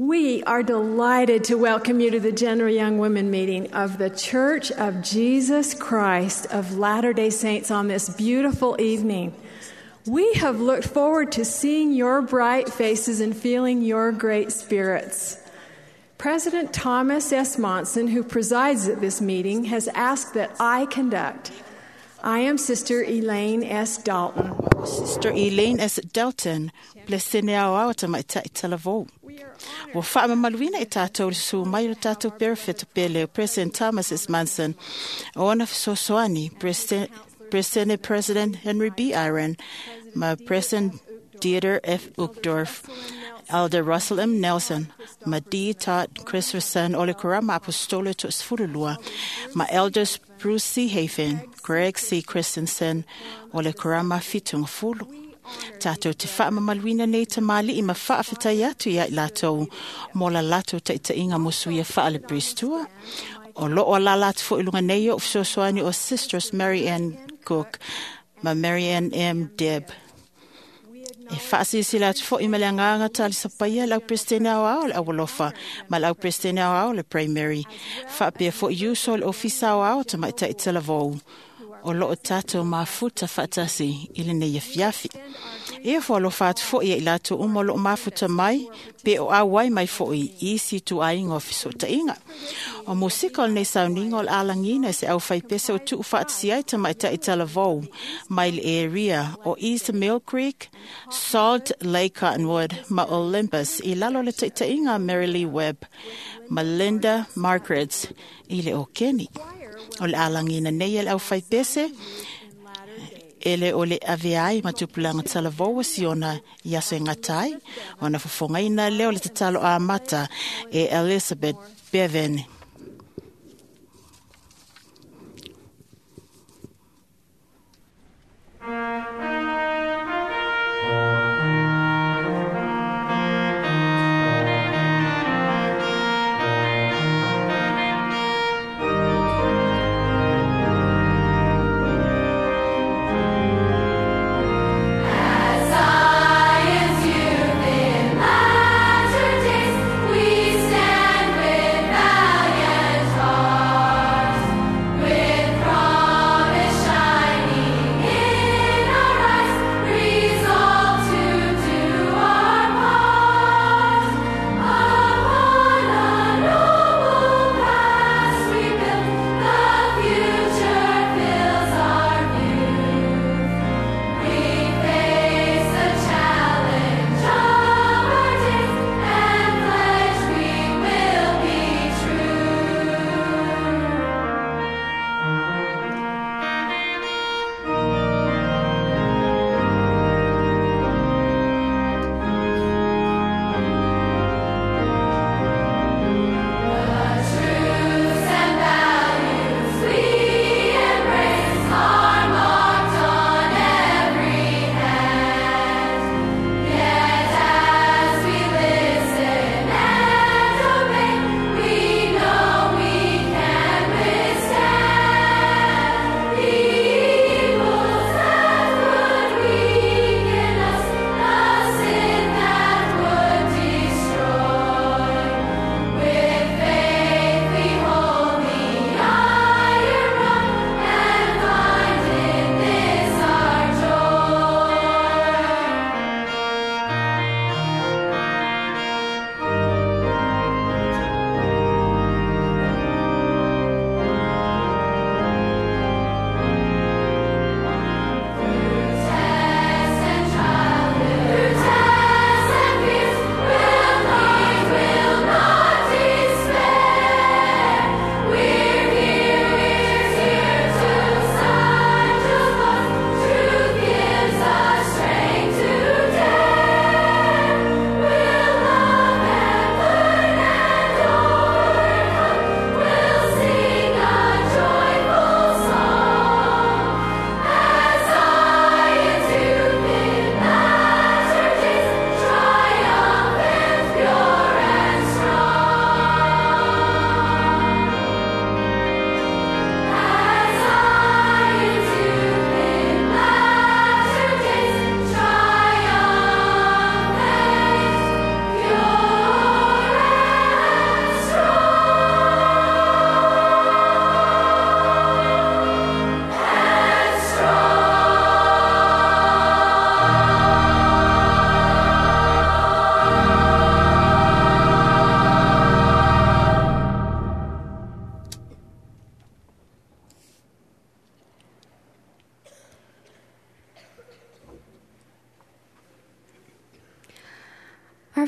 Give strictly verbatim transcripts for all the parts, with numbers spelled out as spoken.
We are delighted to welcome you to the General Young Women meeting of the Church of Jesus Christ of Latter day Saints on this beautiful evening. We have looked forward to seeing your bright faces and feeling your great spirits. President Thomas S. Monson, who presides at this meeting, has asked that I conduct. I am Sister Elaine S. Dalton. Sister Elaine S. Dalton, Blessene au au tamaitai talavou. Ua faamamaluina i tatou le susu mai o tatou perefeto pele o President Thomas S. Monson, o ona fesoasoani, President, President Henry B. Eyring, ma President Dieter F. Uchtdorf, Elder Russell M. Nelson, ma D. Todd Christopherson o le Kurama Apostolo To'osefululua, ma Elders Bruce C. Hafen, Greg C. Christensen o le Kurama Fitungafulu. Tātou te whaamamaluina nei ta mali i ma whaawhitai atu ia i lātou mō la lātou taitainga musu ia whaale Bristua. O loo la lātou fo ilunga nei o fesoasoani o Sisters Mary Ann Cook ma Mary Ann M. Deb. E whaasisi la atu fo i mele ngānga tali sapaia lau Prestene au au le awalofa ma lau Prestene au au le primary. Whaapea fo i uso le ofisa au au ta maitai talavou. O loo tātou mafuta whaatasi i le nei afiafi. E fo alofa atu fo ia i lātou uma o loo mafuta mai, pe o auai mai fo i isi tu ainga o fisotainga. O musika o nei sauninga o le alangina se au whaipese o tuu whaatasi ai ta maitai talavou, mai le area o East Mill Creek, Salt Lake Cottonwood, ma Olympus, i lalo le taitainga Mary Lee Webb, ma Linda Margarets, i le o Kenny. O le alangina nei e le au whaipese, ele o le aveai ma tupulanga talavou siona i aso e ngatai, ona fofongaina leo le tatalo a mata e Elizabeth Bevan. We stand with valiant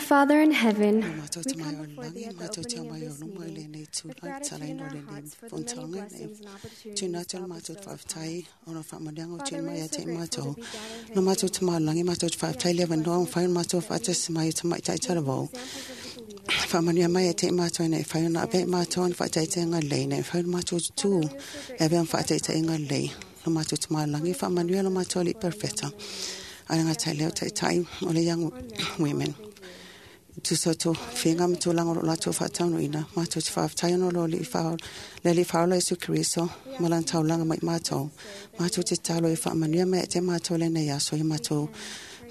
Father in heaven, Matou we te mai come o before thee langi, at the matou te opening of mai o this luma i meeting lenei with tūlai, gratitude talaina in o our lenei hearts for the many fontaga, blessings and opportunities tūna atu thou le matou bestowest upon faafetai us. ona faamanuiaga o Father, tūna we mai are ia so te grateful matou. to be gathered here No matou today. te malangi, matou te We faafetai ask le you avanoa, bless mawhai us ona matou that we faatasi mai o tamaitai may be talavou. examples of the believers Faamanuia mai ia today te matou ina e whai ona and ape stand as matou ona witnesses to faataitaiga you. lelei, ina e whai ona matou tutū Father, we are so e avea grateful ma for our faataitaiga prophet, lelei. President No Monson, matou te malangi, for his faamanuia lo counsel matou alii for our young perfeta. women leaders. Ai We ngā ask tai your leo blessings taitai o le young on them and all women. that they do. Tuso to Father, we whinga are ma so tūlanga o thankful for lātou our whātaunuina. leaders, Mātou te our whāwhtai ono lo li whao, le li whaola Isu Keriso, We ma ask lan you to taulanga mai help us mātou. this day that we Mātou may te have talo i the whaamanuia spirit mai e te mātou le nei aso, i we mātou can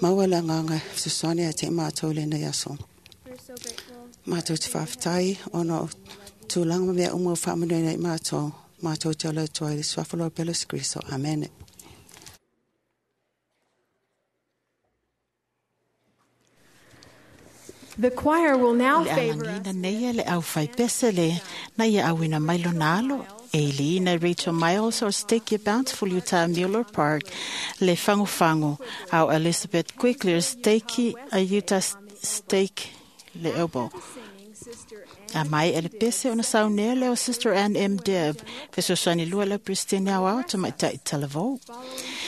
pray maua for le our nganga brothers. fesoasoani a te mātou le nei aso. We are so grateful Mātou to te be here whāwhtai today ono and we love you. tūlanga ma mea umu o whaamanuia nei mātou. Mātou te ola tua i le suafa lo pelo Isu Keriso. Amen. The choir will now Le favor alagina us nei with le au whai pese le na ia awina mai lona alo. Eileen Rachel Miles o Stake Bountiful Utah Mueller Park le Fango Fango au Elizabeth Quickler Stake a Utah Stake le Elbow. After the singing, Sister A Ann mai M. ele Dibb pese ona second saunea leo the Sister first Ann M. Women Deb. General Fesoasoani Conference lua le Pristine will au au address ta us. maitai talavou. Following her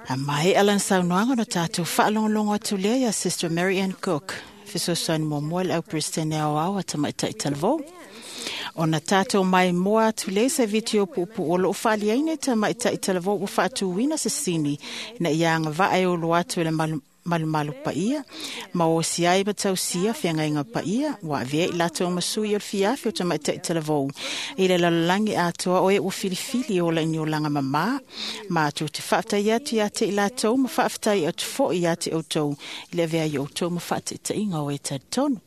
A remarks, mai alan Sister saunoaga na tātou Mary whaalongolongo Ann atu Cook, lea ia Sister First Mary Ann Counselor Cook. and Young Fesoasoani Women mo mua le General au Pristine President. au au a tamaitai We will talavou. then see a Ona brief tātou video mai moa atu le se featuring video young pupu women o who loo have whaali aine been ta bold mai and tai worthy talavou to ua enter the whaatuina holy se temple sini to lay na their ianga crowns vaa e before olo atu le Christ. malu malumalu They paia, represent ma o si ai matausia thousands whiangainga of young paia, women wa avea i throughout the lātou world who masui o are le fiafi o choosing ta to maitai live talavou. I le virtuous lalalangi lives atoa o e ua and filifili thank o la ni you o langa and mamā, thank you ma atu te for whaatai atu being ia te i lātou, ma examples whaaftai of atu fo i ate believers. outou, i le avea i outou ma whaatitainga o e talitonu.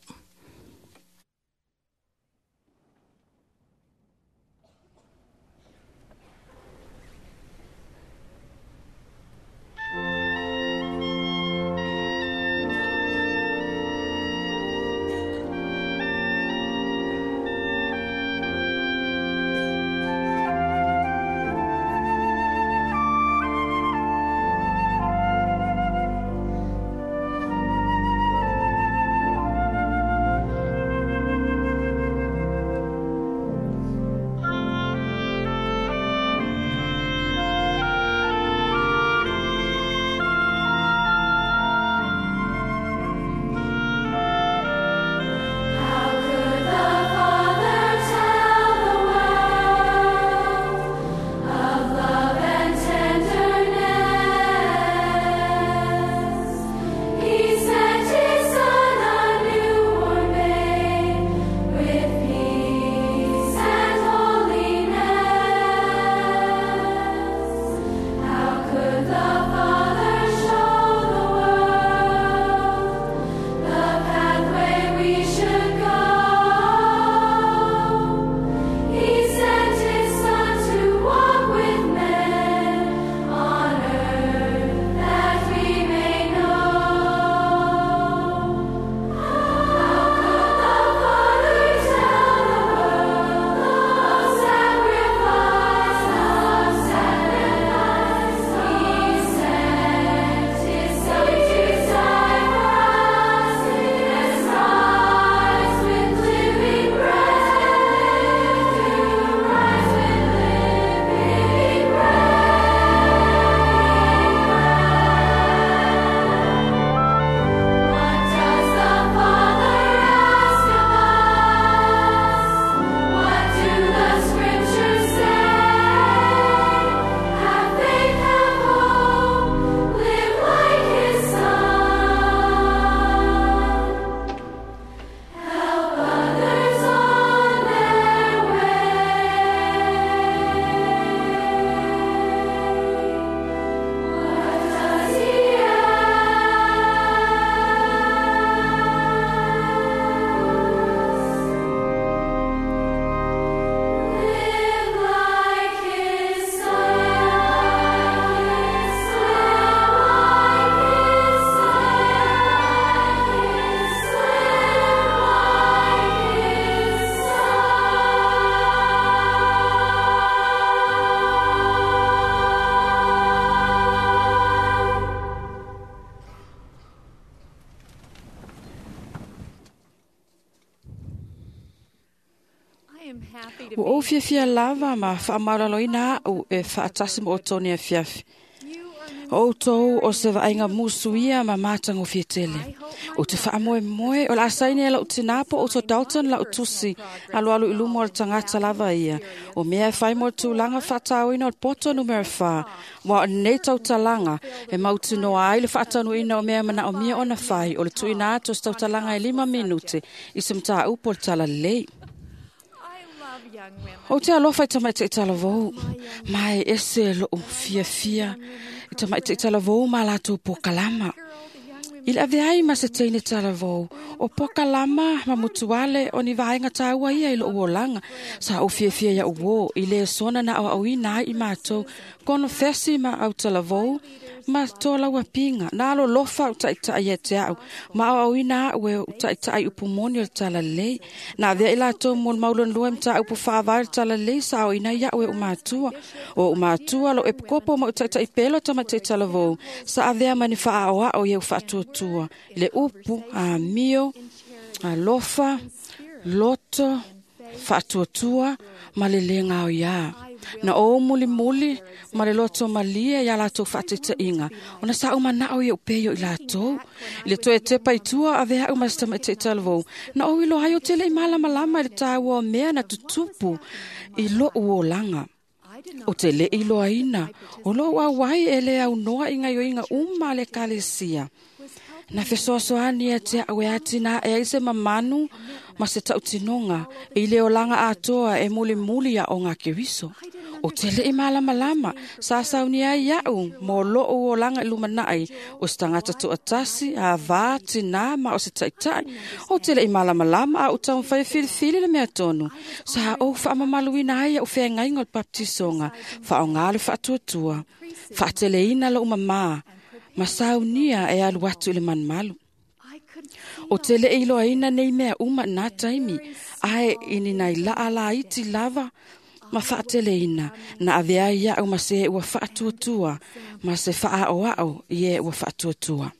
Thank Ua ou fiafia lava ma faamaualaloina a'u e faatasi ma outou nei afiafi. O outou o se vaaiga musu ia ma matagofie tele. Ou te faamoemoe o le a saini e la'u tinā po o uso Dalton la'u tusi alualu i luma o le tagata lava ia. O mea e fai mo le tulaga faataoina o le poto numera fa, ua o lenei tautalaga e mautinoa ai le faataunuuina o mea e manaomia ona fai o le tuuina atu o se tautalaga e lima minute i se mataupu o le talalelei. Ou te alofa i tamaita'i talavou, ma e ese lo'u fiafia i tamaita'i talavou ma latou pokalama. I le avea ai ma se teine talavou, o pokalama ma mutuale o ni vaega taua ia i lo'u olaga. Sa ou fiafia ia'u uō i le sona na aoaoina ai i matou konofesi ma autalavou ma tolauapiga. Na alolofa au taʻitaʻi ia te a'u ma aoaoina a'u e ou taʻitaʻi upu moni o le talalelei. Na avea i latou mo le maulonolua i mataupu faavae o le talalelei sa aoaoina ai iaʻu e oʻu matua. O oʻu matua lo'u epikopo ma oʻu taʻitaʻi pele o tamaitaʻi talavou sa avea ma ni faaʻaoaʻo ia u faatuatua i le upu, amio, alofa, loto, faatuatua ma le lē gaoiā. Na ou mulimuli ma le loto malie iā latou faataitaʻiga ona sa ou manaʻo ia upei o i latou. I le toe tepa i tua avea aʻu ma se tamaitaʻi talavou, na ou iloa ai ou te leʻi malamalama i le tāua o mea na tutupu i loʻu olaga. O te leʻi iloaina o loʻu auai e lē aunoa i gaioiga uma a le ekalesia. Na fesoasoani ia te a'u e atinaʻe ai se mamanu ma se taʻutinoga i le olaga atoa e mulimuli aʻoga a Keriso. O te leʻi malamalama sa saunia ai iaʻu mo loʻu olaga i lumanaʻi o se tagata toʻatasi, avā, tinā ma o se taʻitaʻi. O te leʻi malamalama a ou taumafai e filifili le mea tonu. Sa ou faamamaluina ai iaʻu feagaiga o le baptisoga, faaaogā le faatuatua, faateleina loʻu mamā, ma saunia e alu atu i le malumalu. O te leʻi iloaina nei mea uma i nā taimi, ae i ni nai laʻa laiti lava ma faateleina, na avea ai iaʻu ma se ua faatuatua, ma se faaaʻoaʻo i e ua faatuatua.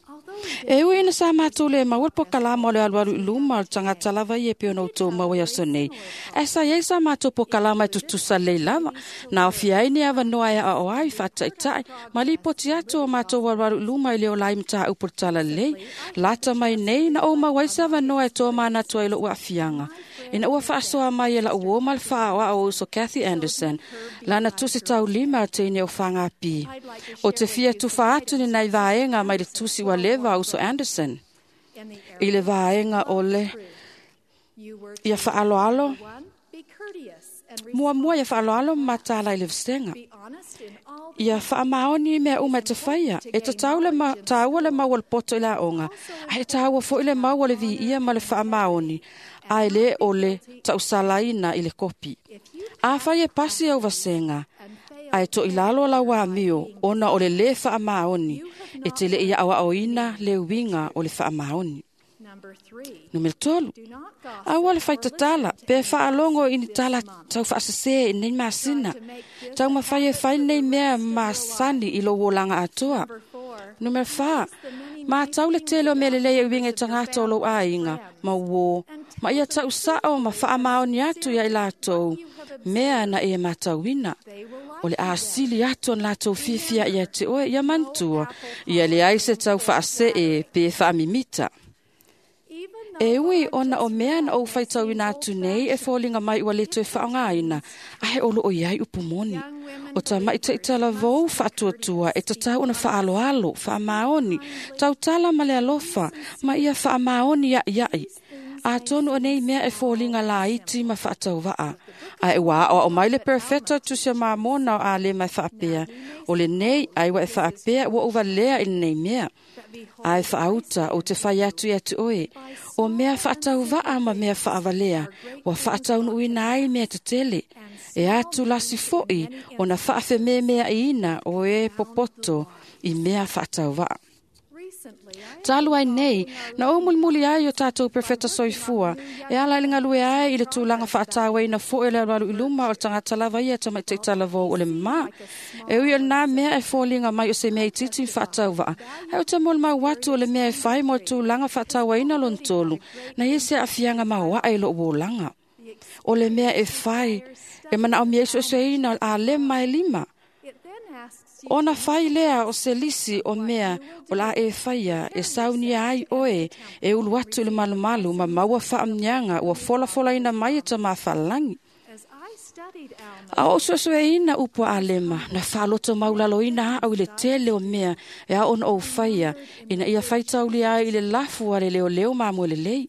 E ui ina sa matou le maua le pokalama o le alualu i luma o le tagata lava ia e pei ona outou maua i aso nei, ae sa iai sa matou pokalama e tutusa lelei lava, na aofia ai ni avanoa e aoao ai faataʻitaʻi ma lipoti atu o matou alualu i luma i le ola ai mataupu o le talalelei. Lata mai nei na ou maua ai se avanoa e toa manatu ai loʻu aafiaga. Ina ua faasoa mai e laʻu uō ma le faaʻaoaʻo o uso Kathy Anderson, lana tusi taulima a teine o Fagapi. O te fia tufa atu ni nai vaega mai le tusi ua leva a uso Anderson. I le vaega o le ia faaloalo, muamua ia faaloalo ma matala i le vasega. Ia faamaoni i mea uma e te faia, e tatau le ma, tāua le mau o le poto i le aoga, ae e tāua foʻi le mau o le viia ma le faamaoni, ae lē o le taʻusalaina i le kopi. Afai e pasi au vasega, ae toʻilalo lau amio ona o le lē faamaoni, e te leʻi aʻoaʻoina le uiga o le faamaoni. Numera tolu, aua le faitatala pe faalogo i ni tala taufaasesē i nei masina. Taumafai e fai nei mea masani i lou olaga atoa. Numera fa, matau le tele o mea lelei e uiga i tagata o lou aiga ma uō, ma ia taʻusaʻo ma faamaoni atu ia i latou mea na e matauina. O le asili atu ona latou fiafia ia te oe ia manatua, ia leai se taufaasee pe faamimita. E ui ona o mea na ou faitauina atu nei e foliga mai ua le toe faaaogāina, ae o loo iai upu moni. O tamaitaʻi talavou faatuatua e tatau ona faaloalo, faamaoni, tautala ma le alofa, ma ia faamaoni iaʻiaʻi. Atonu o nei mea e foliga laiti ma faatauvaʻa. Ae ua aʻoaʻo mai le perofeta tusi o Mamona o Alema e faapea, o lenei ai ua e faapea ua ou valea i lenei mea. Ae faauta ou te fai atu ia te oe, o mea faatauvaʻa ma mea faavalea, ua faataunuuina ai mea tetele. E atu lasi foʻi ona faafememeaʻiina o e popoto i mea faatauvaʻa. Talu ai nei, na ou mulimuli ai o tatou profeta soifua, e ala i le galue ai i le tulaga faatauaina foʻi o le alualu i luma o le tagata lava ia tamaitaʻi talavou o le mamā. E ui o lenā mea e foliga mai o se mea itiiti ma faatauvaʻa, ae ou te molimau atu o le mea e fai mo le tulaga faatauaina lona tolu, na ia se aafiaga maoaʻe i loʻu olaga. O le mea e fai, e mana o mea iso ina o a le mai lima. Ona fai lea o se lisi o mea o la e whaia e saunia ai oe e ulu atu i le malumalu ma maua whaamnianga ua fola fola ina mai e ta mawhalangi. A o suesue ina upo a lema, na whaaloto maulalo ina au i le tele o mea e a ona o whaia, ina ia whaitauli ai i le lafu a le leo leo maa le lei.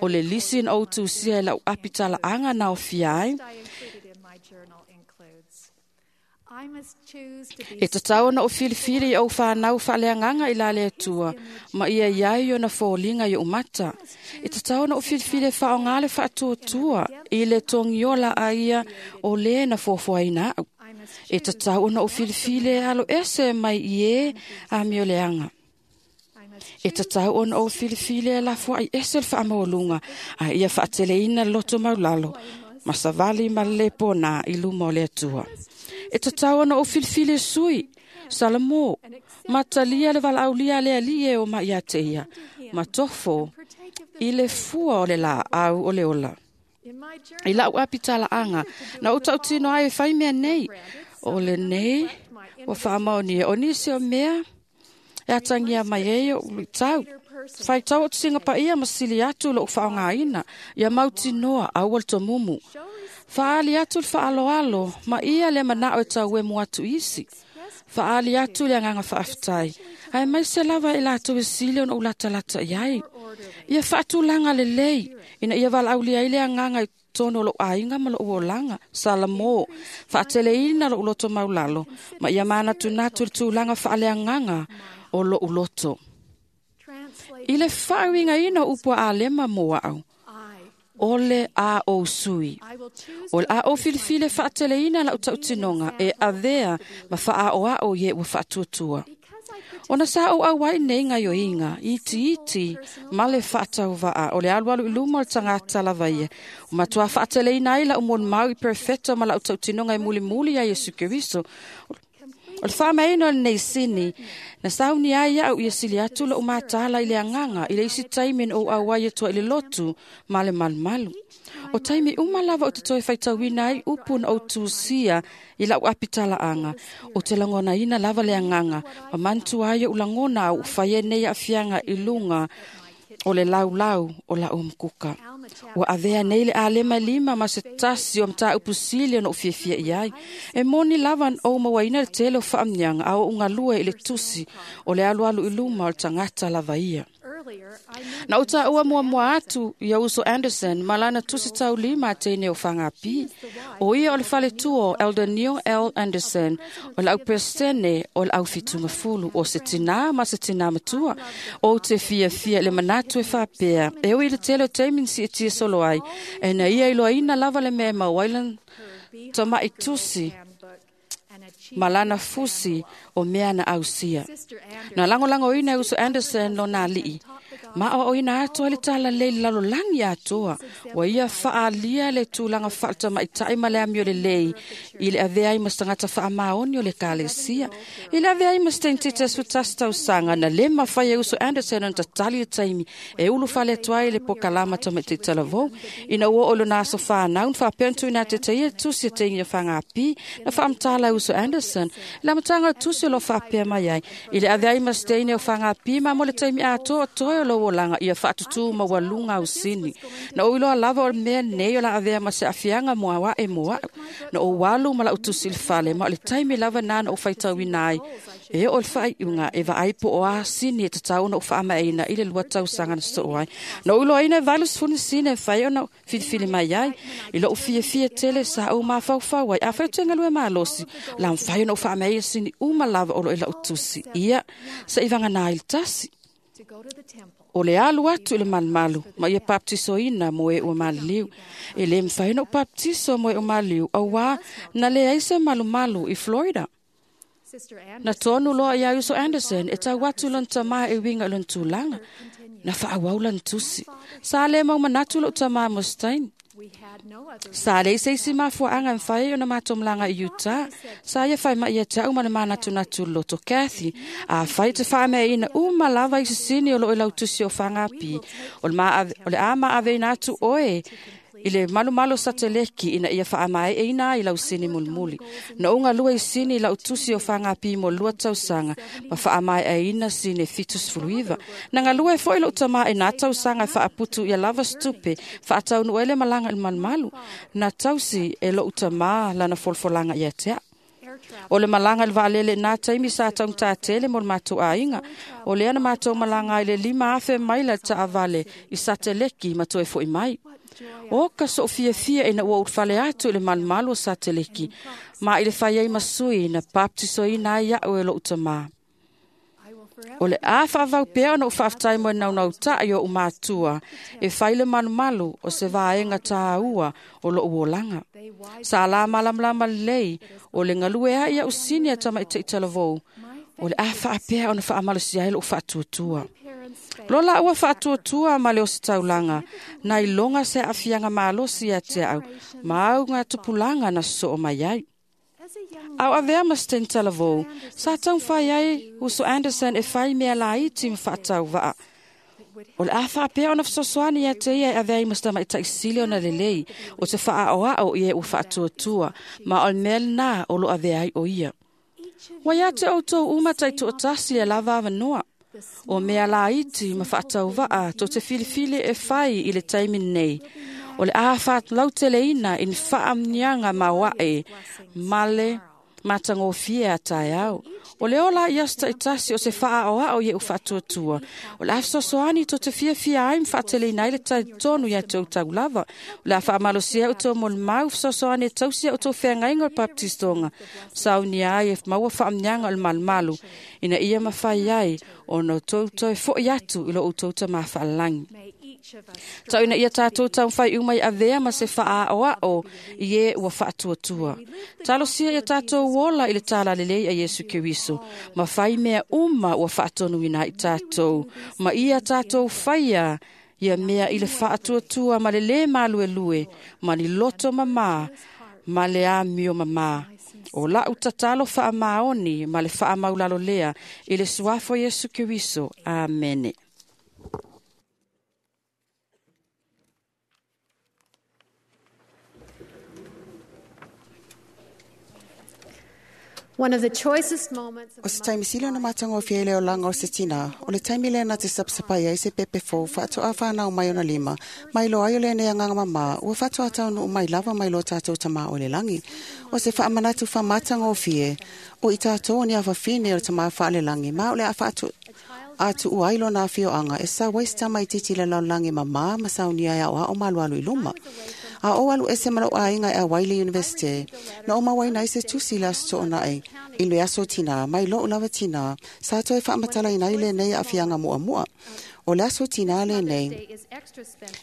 O le lisi na o tūsia e lau apitala anga na o fia ai. E tatau na o filifili i au whanau whaaleanganga i la le atua, ma ia iai o na fōlinga i o mata. E tatau na o filifili e whaongale whaatuatua i le tongiola a ia o le na fōfoaina au. E tatau na o filifili e alo ese mai i e a mioleanga. E tatau ona o filifili e lafua i ese le whaamaolunga a ia whaateleina loto maulalo, masavali ma le pona i luma o le atua. E tatau ona o filifili sui, Salamo, matalia le valaulia le alie o mai te ia, matofo i le fua o le la au o le ola. I lau apitala anga, na o tautino ai e whai mea nei, o le nei, o whaamaonia, o nisi o mea, e atangia mai e o tau. Whai tau o tusinga pa ia masili atu lo whaongaina, ia mautinoa au al tomumu. Whaali atu le whaaloalo, ma ia le manao e tau e atu isi. Whaali atu le anganga whaaftai. Ai mai se lava e lātou e sile ona ulata lata i ai. Ia whaatulanga le lei, ina ia walaulia i le anganga i tono lo ainga ma lo uolanga. Salamo, whaateleina lo uloto maulalo, ma ia mana tunatu le tūlanga whaale anganga o lo uloto. I le whaawinga ina upua a lema mō au. Ole a o sui. O a o filifili whaateleina la utautinonga e avea ma whaa o a o ye ua whaatuatua. Ona sa o au wai nei ngā yoinga, iti iti, male whaatau waa, o le alu alu iluma o le tangata lava ia. O matua whaateleina ai la umon mau i perfecto ma la utautinonga e muli muli a Yesu Keriso. O le whaamaino le nei sini, na sauni ai au ia sili atu la umatala i le anganga, i le isi taimin o au ai etoa i le lotu, ma le malumalu. O taimi umalava o te toi whaitauina ai upu na o tūsia i lau apitala anga, o te langona ina lava le anganga, ma mantu ai o langona au whaie nei a fianga i lunga o le lau lau o la umkuka. Ua avea nei le alema lima ma se tasi o mta upusili no ufiafia i ai. E moni lava o mawaina le tele o whaamnianga a o ungalue i le tusi o le alu alu iluma o le tangata lava ia. Na uta ua mua mua atu ia Uso Anderson malana tusi tau lima teine o whangapi. O ia o le fale tuo Elder Neil L. Anderson o lau presene o lau fitunga fulu o se tina ma se tina matua o te fia fia le manatu e whapea. E o i le tele o teimin si e tia solo ai. E na ia iloa ina lava le mea mawailan tamai tusi malana fusi o mea na ausia. Na lango lango ina Uso Anderson no nā lii. Ma o ina atoa le tala le lalo langi atoa. Wa ia whaalia le tūlanga whaalta mai tai ma le amio le lei. I le avea i mastangata wha maoni o le kalesia. I le avea i mastentite sutasta tausanga na le mawhai e Uso Anderson on tatali le taimi. E ulu whale atoa i le pokalama ta mai te talavou. Ina ua o lona aso whanau wha pentu ina te teia tusi e te inga whangapi. Na whaamtala Uso Anderson. La matanga tusi lo whapea mai ai. I le avea i masteine o whangapi ma mo le taimi atoa toe o lo olanga ia whaatutu ma walunga usini. Na o iloa lava o mea nei o la avea ma se afianga mua wa e mua. Na o walu ma la utusi le fale ma o le taimi lava nana o whaitauina ai. E o le whai unga e vaai po o a sini e tatau na o whaamaina i le lua tausanga na so ai. Na o iloa ina e valus funi sine e whai ona filifili mai ai. I lo o fia fia tele sa o mawhauwhau ai. A whai tenga lue malosi. La mwhai ona o whaamaia sini uma lava o lo e la utusi. Ia sa iwanga nā il tasi. O le alu atu i le malumalu, ma ia baptiso ina mo e ua maliliu. E le mwhai na o baptiso mo e ua maliliu, au wā na le aise malumalu i Florida. Na tonu loa ia Uso Anderson, e tau atu lon tamaa e winga lon tūlanga. Na whaawau lan tusi. Sa le mau manatu lo tamaa Mustaine. Sa le ise isi mafuaanga mwhai o na matomlanga i Utah. Sa ia whai mai ia te au mana manatu natu loto Kathy. A whai te whaamea ina uma lava i sisini o lo e lautusi o whangapi. O le, ma, o le a maaveina atu oe I le malumalu o Sateleki ina ia faamaeaina ai lau sini mulimuli. Na ou galue i sini i lau tusi o fagapi mo lua tausaga ma faamaeaina sini fitu sefulu iva. Na galue foi lou tamā i nā tausaga e faaputu ia lava se tupe faataunuu ai le malaga i le malumalu. Na tausi e lou tamā lana folafolaga ia te au. O le malaga i le vaalele i nā taimi sa taugatatele mo le matou aiga. O lea na matou malaga ai le lima afe maila i le taavale i Sateleki ma toe fo'i mai. O ka soo fiafia ina ua ulufale atu i le malumalu o Sateleki, ma i le fai ai ma sui na baptisoina ai a'u e lo'u tamā. O le a faavau pea ona ou faafetai mo e naunautai o ou matua e fai le malumalu o se vaega tāua o lo'u olaga. Sa la malamalama lelei o le galue ai a'u sini a tamaita'i talavou, o le a faapea ona faamalosia ai lo'u faatuatua. Lo la ua faatuatua ma le ositaulaga, na iloga se aafiaga malosi ia te au, ma au ngā tupulaga na sosoo mai ai. Au avea ma se taimi talavou, sa taumafai ai uso Anderson e fai mea laiti ma faatauvaa. O le a faapea ona fesoasoani ia te ia e avea ai ma se tamaita'i sili ona lelei, o te faaoao i e ua faatuatua, ma o le mea lenā o lo avea ai o ia. Ua ia te outou uma taitoatasi e lava avanoa. O mea laiti ma faatauvaa to te filifili e fai i le taimi nei. O le a faalauteleina i ni faamniaga maoae ma le matagofie a taeao. O le ola i aso taitasi o se faaoao i e u faatuatua. O le a fesoasoani to te fiafia ai ma faateleina ai le talitonu ia te outou lava. O le a faamalosia ai outou molimau fesoasoani e tausi ai outou feagaiga o le baptistoga. Saunia ai e maua faamniaga o le malumalu, ina ia mafai ai ona outou toe fo'i atu i lo outou tamā faalagi. Tau ina ia tātou taumafai uma i avea ma se faaoao i e ua faatuatua. Talosia ia tātou ola i le talalelei a Iesu Keriso, ma fai mea uma ua faatonuina ai tātou, ma ia tātou faia ia mea i le faatuatua ma le lē maluelue, ma ni loto mamā, ma le amio mamā. O lau tatalo faamaoni ma le faamaulalo lea i le suafa o Iesu Keriso. Amene. One of the choicest moments of O se taimi sili ona matagofie i le olaga o se tinā, o le taimi lea na te sapasapai ai se pepe fou faatoa whanau mai ona lima, mai loa ai o lenei agaga mamā, ua faatoa taunuu mai lava mai lo tātou tamā o le lagi. O se faamanatu faamatagofie, o i tātou o ni afafine o le tamā faalelagi, ma o le a faatu atu ai lona afioaga e sau ai se tamaititi i le lalolagi mamā ma saunia e aoao ma alualu i luma. A o alu ese ma lou aiga e auai le universite, na o mauaina ai se tusi i le aso toonai, i le aso tinā, mai lou lava tinā, sa toe faamatalaina ai lenei aafiaga muamua. O le aso tinā lenei,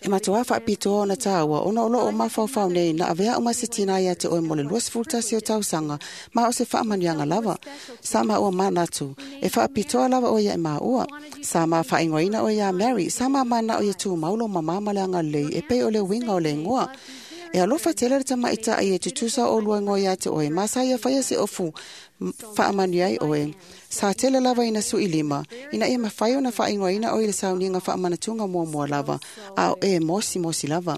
e matuā faapitoa ona tāua, ona o loo mafaufau nei na avea uma se tinā ia te oe mo le luasefulu tasi o tausaga, ma o se faamanuiaga lava. Sa maua manatu, e faapitoa lava oe ia e maua. Sa ma faaigoaina oe iā Mary, sa ma manao ia tumau lo mamā ma le agalelei, e pei o le uiga o le igoa. E alofa tele le tamaita'i e tutusa o lua igoa ia te oe, ma sa ia faia se ofu faamanuia ai oe. Sa tele lava ina su'i lima, ina ia mafai ona faaigoaina oe i le sauniga faamanatuga muamua lava, a o e mosimosi lava.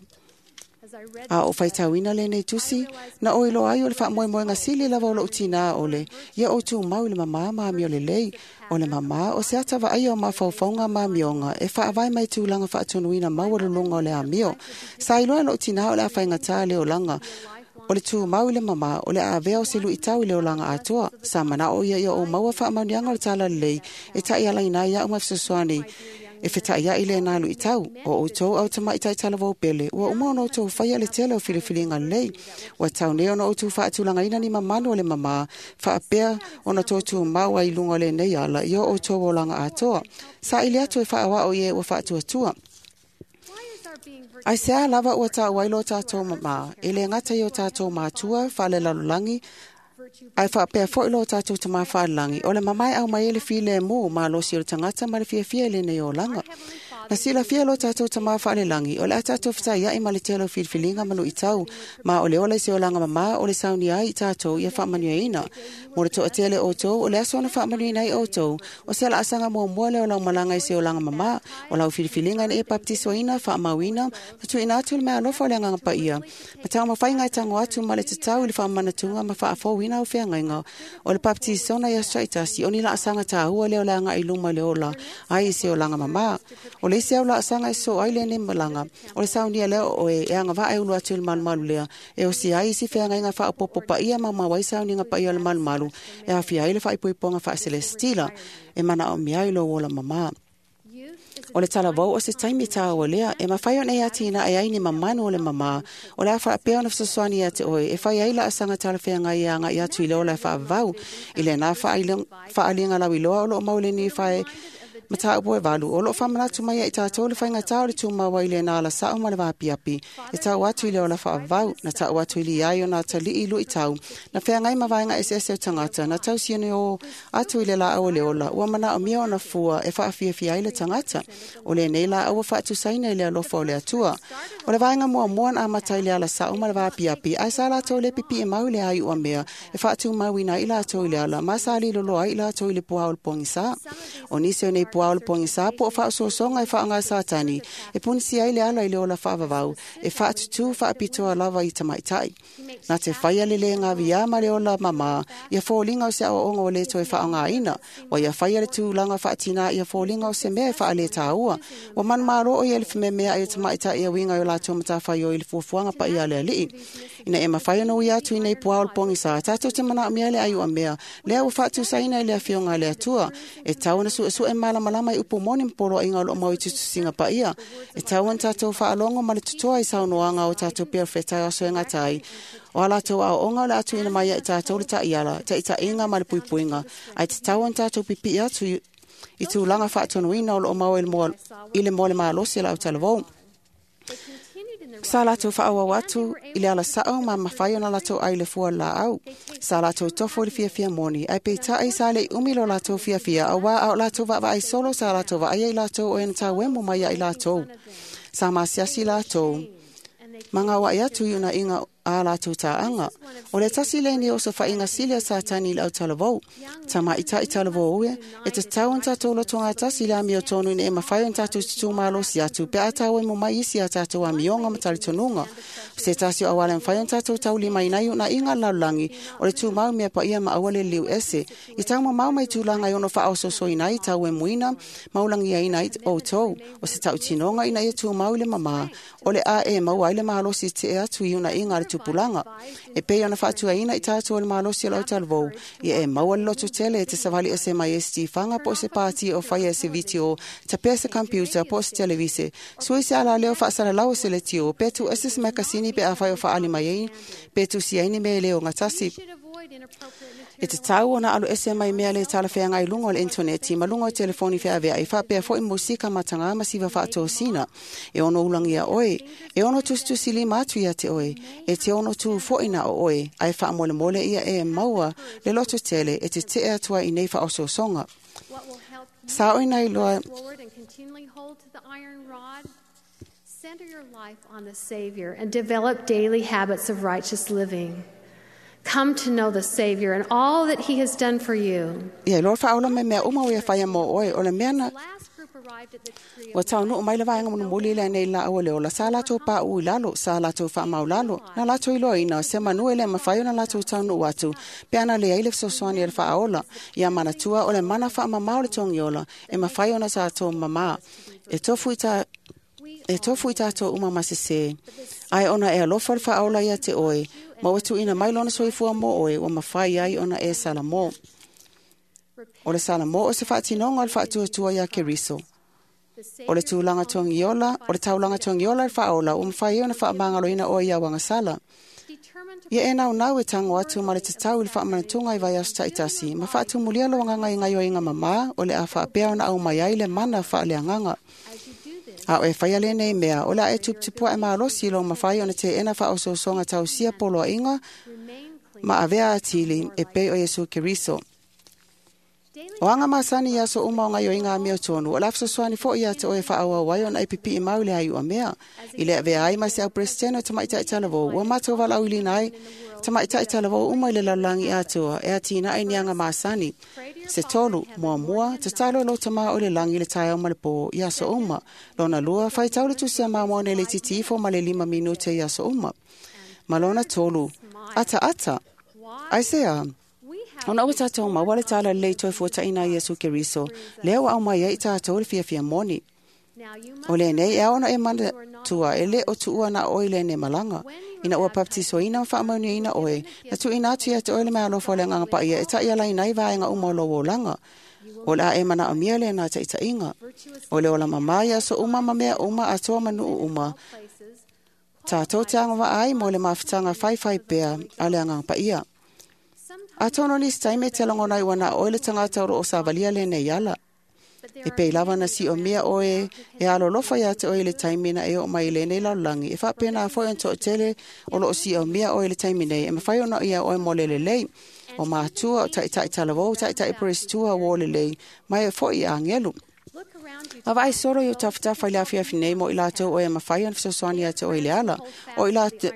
A o faitauina lenei tusi, na o iloa ai o le faamoemoega sili lava o lou tinā ole, ia o tumau i le mamā ma amio lelei. O le mamā o se ata vaaia o mafaufauga ma amioga e faavae mai tulaga faatonuina maualuluga o le amio. Sa iloa lou tinā o le a faigatā le olaga, o le tumau i le mamā o le a avea o se luitau i le olaga atoa. Sa manao ia ia o maua faamanuiaga o le talalelei e ta'ialaina ai a'u ma fesoasoani e feta'ia'i lenā lu'itau. O outou au tamaʻitaʻi talavou pele, ua uma ona outou faia le tele o filifiliga lelei. Ua tau nei ona outou faatulagaina ni mamalu o le mamā, faapea ona tou tumau ai i luga o lenei ala ia o outou olaga atoa. Saʻili atu e faaoao i e ua faatuatua. Ai se a lava ua tāu ai lo tātou mamā, e le gata i o tātou mātua, faalelalolagi, ai faapea foi lo tātou tamā faalelagi, o le mamae au mai e le filemu malosi o le tagata ma le fiafia i lenei olaga. Na silafia lo tātou tamā whaalelangi, o le a tātou whitai ai ma le telo filifiliga ma luʻitau, ma o le ola i se olaga mamā o le saunia ai i tātou ia faamanuiaina. Mo le toʻatele outou, o le aso na faamanuiaina ai outou, o se laasaga muamua lea o lau malaga i se olaga mamā, o lau filifiliga ina ia papatisoina, faamauina, ma tuuina atu le meaalofa o le Agaga Paia, ma taumafaiga e tago atu ma le tatau i le faamanatuga ma faafouina au feagaiga. O le papatisona i aso taitasi, o ni laasaga tāua lea o le agaʻi luma i le ola ai i se olaga mamā. O le isi au laasaga e sosoo ai lenei malaga, o le saunia lea o oe e agavaa e ulu atu i le malumalu lea, e osia ai isi feagaiga faaopoopo paia ma mau ai sauniga paia o le malumalu, e aofia ai le faaipoipoga faaselesitila, e manaomia ai lou ola mamā. O le talavou o se taimi tāua lea, e mafai ona e atinae ai ni mamanu o le mamā, o le a faapea ona fesoasoani ia te oe, e fai ai laasaga talafeagai e agaʻi atu i le ola e faavavau, i lenā faaaliga lauiloa o loo mau i lenei fae mataupu e valu, o loo faamanatu mai ai tātou le faigatā o le tumau ai lenā alasao ma le vaapiapi, e tau atu i le ola faavavau, na tau atu i liai o nā taliʻi luʻitau, na feagai ma vaega eseese o tagata, na tausiani o atu i le laau o le ola, ua manaomia ona fua e faafiafia ai le tagata, o lenei laau ua faatusaina i le alofa o le Atua. O le vaega muamua na amata i le alasao ma le vaapiapi, ae sa latou le pipii mau i le aiua mea, e faatumauina ai latou i le ala, ma sa liloloa ai latou i le puā o le pogisā. O nisi o nei puā o le pogisā po o faaosoasoga e faaaoga Satani, e punisi ai le ala i le ola faavavau, e faatutū faapitoa lava i tamaitai. Na te faia le le gaviā ma le ola mamā, ia foliga o se aoaoga o le toe faaaogaina, ua ia faia le tulaga faatinā ia foliga o se mea e faaletaua. Ua manumalo o ia i le fememeaʻi o tamaitai e uiga i o latou matafaioi i le fuafuaga paia a le Alii. Ina e mafai ona uia atu i nei puā o le pogisā, tātou te manaomia le aiuamea, lea ua faatusaina i le afioga a le Atua, e tau ona suesue malamalama i upu moni ma poloaiga o loo mau i tusitusiga paia. E tau ona tatou faalogo ma le totoa i saunoaga o tatou perofeta e aso e gata ai. O a latou aoaoga o le atuina mai ai tatou le taiala, taitaiga ma le puipuiga, ae tatau ona tatou pipii atu i tulaga faatonuina o loo mau i le mo le malosi o le autalavou. Sa latou faaauau atu i le alasao ma mafai ona latou ai le fua laau. Sa latou tofo i le fiafia moni, ae peitai sa leʻi umi lo latou fiafia, auā a o latou vaavaai solo sa latou vaaia i latou o e na tauemo mai ai latou. Sa masiasi latou, ma gauaʻi atu i unaiga a latou tāaga. O le tasi lenei o sofaiga sili a Satani i le autalavou. Tamaʻitaʻi talavou e, e tatau ona tatou lotogatasi i le amiotonu ina e mafai ona tatou tutumalosi atu pe a tauemo mai isi a tatou amioga ma talitonuga. O se tasi o auala e mafai ona tatou taulimaina ai unaiga a le lalolagi, o le tumau mea paia ma aua le liliu ese. I taumamao mai tulaga e ono faaososoina ai tauemuina ma ulagiaina ai outou. O se tautinoga ina ia tumau i le mamā, o le a e maua ai le malosi tee atu i unaiga a le tupulaga. E pei ona faatuaina i tatou o le malosi o le autalavou, ia e maua le loto tele e te savali ese mai e se tifaga po o se pati o faia e se vitio, tapea se computer po o se televise, sui se alaleo faasalalau o se letio, pe tu ese se makasini pe afai o faali mai ai, pe tusi ai ni mea e le ogatasi. E tatau ona alu ese mai mea le talafeagai i luga o le intaneti ma luga o telefoni feaveai faapea foʻi musika matagā ma siva faatosina. E ono ulagia oe, e ono tusitusi lima atu ia te oe, e te ono tu foʻi na o oe, ae faamolemole ia e maua le loto tele e te tee atu ai i nei faaosoosoga. Sa oe na iloa Center your life on the Savior and develop daily habits of righteous living. Come to know the Savior and all that He has done for you. Ia iloa le faaola mai mea uma ua ia faia mo oe, o le mea na ua taunuu mai le vaega mulimuli i le anei laau o le ola, sa latou paʻu i lalo, sa latou faamaulalo, na latou iloaina se manu e le mafai ona latou taunuu atu, pe ana leai le fesoasoani a le faaola. Ia manatua o le mana faamamā o le togiola, e mafai ona tatou mamā. E tofu i ta E tofu i tātou uma ma sesē. Ae ona e alofa le faaola ia te oe, ma ua tuuina mai lona soifua mo oe, ua mafai ai ona e salamo. O le salamo o se faatinoga o le faatuatua iā Keriso. O le tulaga togiola, o le taulaga togiola le faaola, ua mafai ai ona faamagaloina oe ia uagasala. Ia e naunau e tago atu ma le tatau i le faamanatuga i vaiaso taitasi, ma faatumulia lou agaga i gaoioiga mamā, o le a faapea ona aumai ai le mana faaleagaga. A o e faia lenei mea, o le a e tuputupuaʻe malosi i lou mafai ona teʻena faaosoosoga tausia poloaiga ma avea atili e pei o Iesu Keriso. O anga masani ia so uma o ngai o inga mea tonu, o la fesoasoani foi ia te oe whaawau ai ona e pipi i mau le ai ua mea. I le avea ai mai se au presidente o tamaitai talavou, ua matou valaauilina ai tamaitai talavou uma i le lalolagi atoa, e atina ai ni anga masani. Se tolu, muamua, tatalo lo tama o le langi le taeao ma le pō i aso uma. Lona lua, faitau le tusi a Mamona e le titi ifo ma le lima minute i aso uma. Ma lona tolu, ata ata, ai se a, ona ua tātou maua le tala lelei toe fuataina Iesu Keriso, lea ua au mai ai tātou le fiafia moni. O lenei e ao ona e manatua e le o tuua na oe lenei malaga. Ina ua baptisoina ma faamanuiaina oe, na tuuina atu ia te oe le meaalofa o le agaga paia e ta'ialaina ai vaega uma o lou olaga. O le a e manaomia lena taʻitaʻiga. O le ola mamā ia aso uma ma mea uma atoa ma nuu uma. Tātou te agavaa ai mo le mafutaga faifai pea a le agaga paia. Atonu nisi taimi e te lagona ai ua na oe le tagata o loo savalia lenei ala. E pei lava na siomia oe e alolofa ia te oe i le taimi na e oo mai i lenei lalolagi. E faapena foi ona toʻatele o loo siomia oe i le taimi nei. E mafai ona ia oe mo le lelei. O matua, o taʻitaʻi talavou, taʻitaʻi perestua ua o lelei, mai e foi i agelu. Ma vaai solo i o tafatafa i le afiafi nei mo i latou oe e mafai ona fesoasoani ia te oe i le ala. O i latou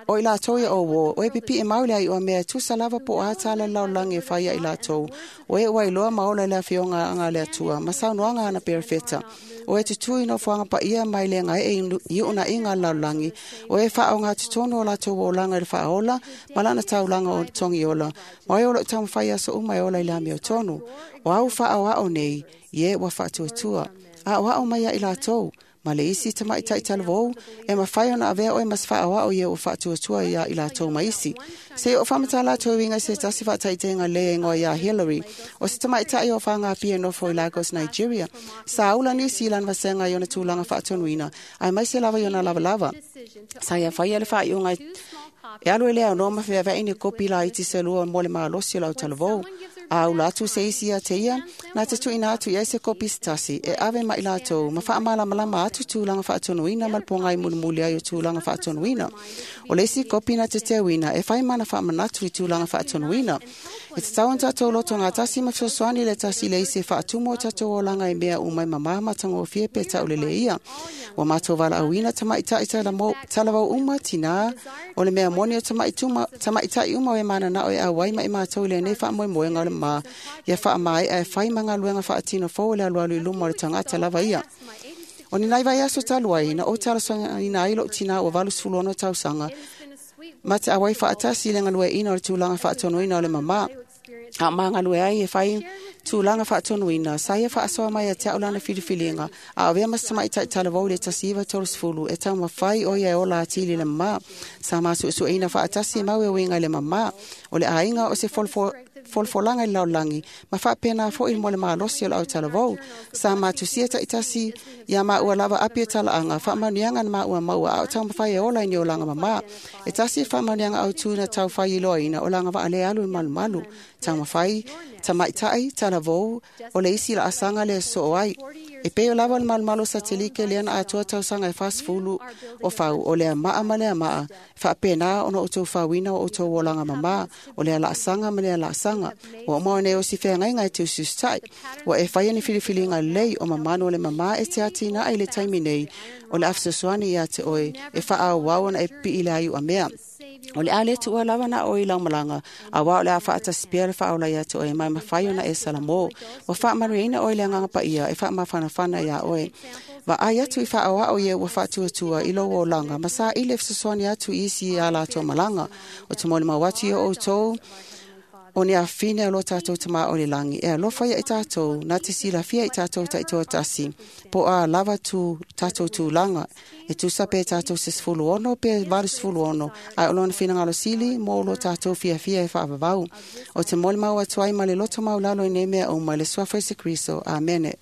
O i latou ia o uo, o e pipi e mau le ai ua mea e tusa lava po o a tala le lalolagi e fai ia i latou. O e ua iloa ma ola i le afioga anga le Atua, ma saunoaga ana perefeta. O e tutū i nofoaga paia mai le gaeʻe i uunaiga a le lalolagi. O e faaogatotonu o latou olaga i le faaola, ma lana taulaga o togiola. Ma oe o loo taumafai aso uma e ola i le amiotonu. O au faaoao nei, i e ua faatuatua. Aoao mai ia i latou. Ma le isi tamaitai talavou, e mafai ona avea oe ma se faaoao ia ua faatuatua ia i latou ma isi. Se i o faamatala atu e uiga i se tasi faataitaiga lē e igoa iā Hillary, o se tamaitai o fagapia e nofo i Lagos, Nigeria. Sa ula nisi i lana vasega i ona tulaga faatonuina, aemaise lava i ona lavalava. Sa ia faia le faaiuga e alu e le aunoa ma feaveai ni kopi laiti se lua mo le malosi o lau talavou. A ula atu se isi ia te ia, na te tuuina atu i ai se kopi se tasi, e ave ma i latou, ma faamalamalama atu tulaga faatonuina ma le pogai mulimuli ai o tulaga faatonuina. O le isi kopi na te teuina, e fai mana faamanatu i tulaga faatonuina. E tatau ona tatou loto gatasi ma fesoasoani le tasi i le isi e faatumu o tatou olaga i mea uma e mamā matagofie pe tauleleia. Ua matou valaauina tamaitai talavou uma tinā, o le mea moni o tamaitai uma o e mananao e auai ma i matou i lenei faamoemoega o le mamā, ia faamaea e fai ma galuega faatino fou o le alualu i luma o le tagata lava ia. O ni nai vaiaso talu ai, na ou talosagaina ai lou tinā ua valu sefulu ono tausaga, ma te auai faatasi i le galueaiina o le tulaga faatonuina o le mamā. A o magalue ai e fai tulaga faatonuina, sa ia faasoa mai ia te au lana filifiliga, a avea ma se tamaitai talavou i le tasi iva tolu sefulu, e taumafai o ia e ola atili i le mamā. Sa masuesueina faatasi e mau e uiga i le mamā, o le aiga o se folofolaga i le lalolagi, ma faapena foi mo le malosi o le au talavou. Sa matusia taʻitasi ia maua lava api e talaaga, faamanuiaga na maua maua a o taumafai e ola i ni olaga mamā. E tasi e faamanuiaga autū na taufai iloaina o laga vaalē alu i le malumalu. Taumafai, tamaitai, talavou, o le isi laasaga le soo ai. E pei o lava le malumalu o satelike lea na atoa tausaga e fasefulu o fau, o lea maa ma lea maa, faapena ona outou fauina o outou olaga mamā, o lea laasaga ma lea laasaga. Ua uma o nei o si feagaiga e teusiusitaʻi. Ua e faia ni filifiliga lelei o mamanu o le mamā e te atinaʻe i le taimi nei, o le a fesoasoani ia te oe e faaauau ona e pipii i le aiuamea. O le a le tuua lava na oe i laumalaga, auā o le a faatasi pea le faaola ia te oe, mai mafai ona e salamō. Ua faamanuiaina oe i le agaga paia e faamafanafana iā oe. Vaai atu i faaoao ia ua faatuatua i lou olaga, ma saili e fesoasoani atu i isi ia latou malaga. O te molimau atu ia outou, o ni afine o lo tātou tamā o le langi, e alofa ia i tātou, na te silafia i tātou taitoatasi, po a lava tu tātou tūlanga, e tusa pe tātou se sefulu ono pe valu sefulu ono, ae o lona finagalo sili mo lo tātou fiafia e faavavau. O te molimau atu ai ma le loto maulalo i nei mea uma i le suafa o Iesu Keriso. Amene.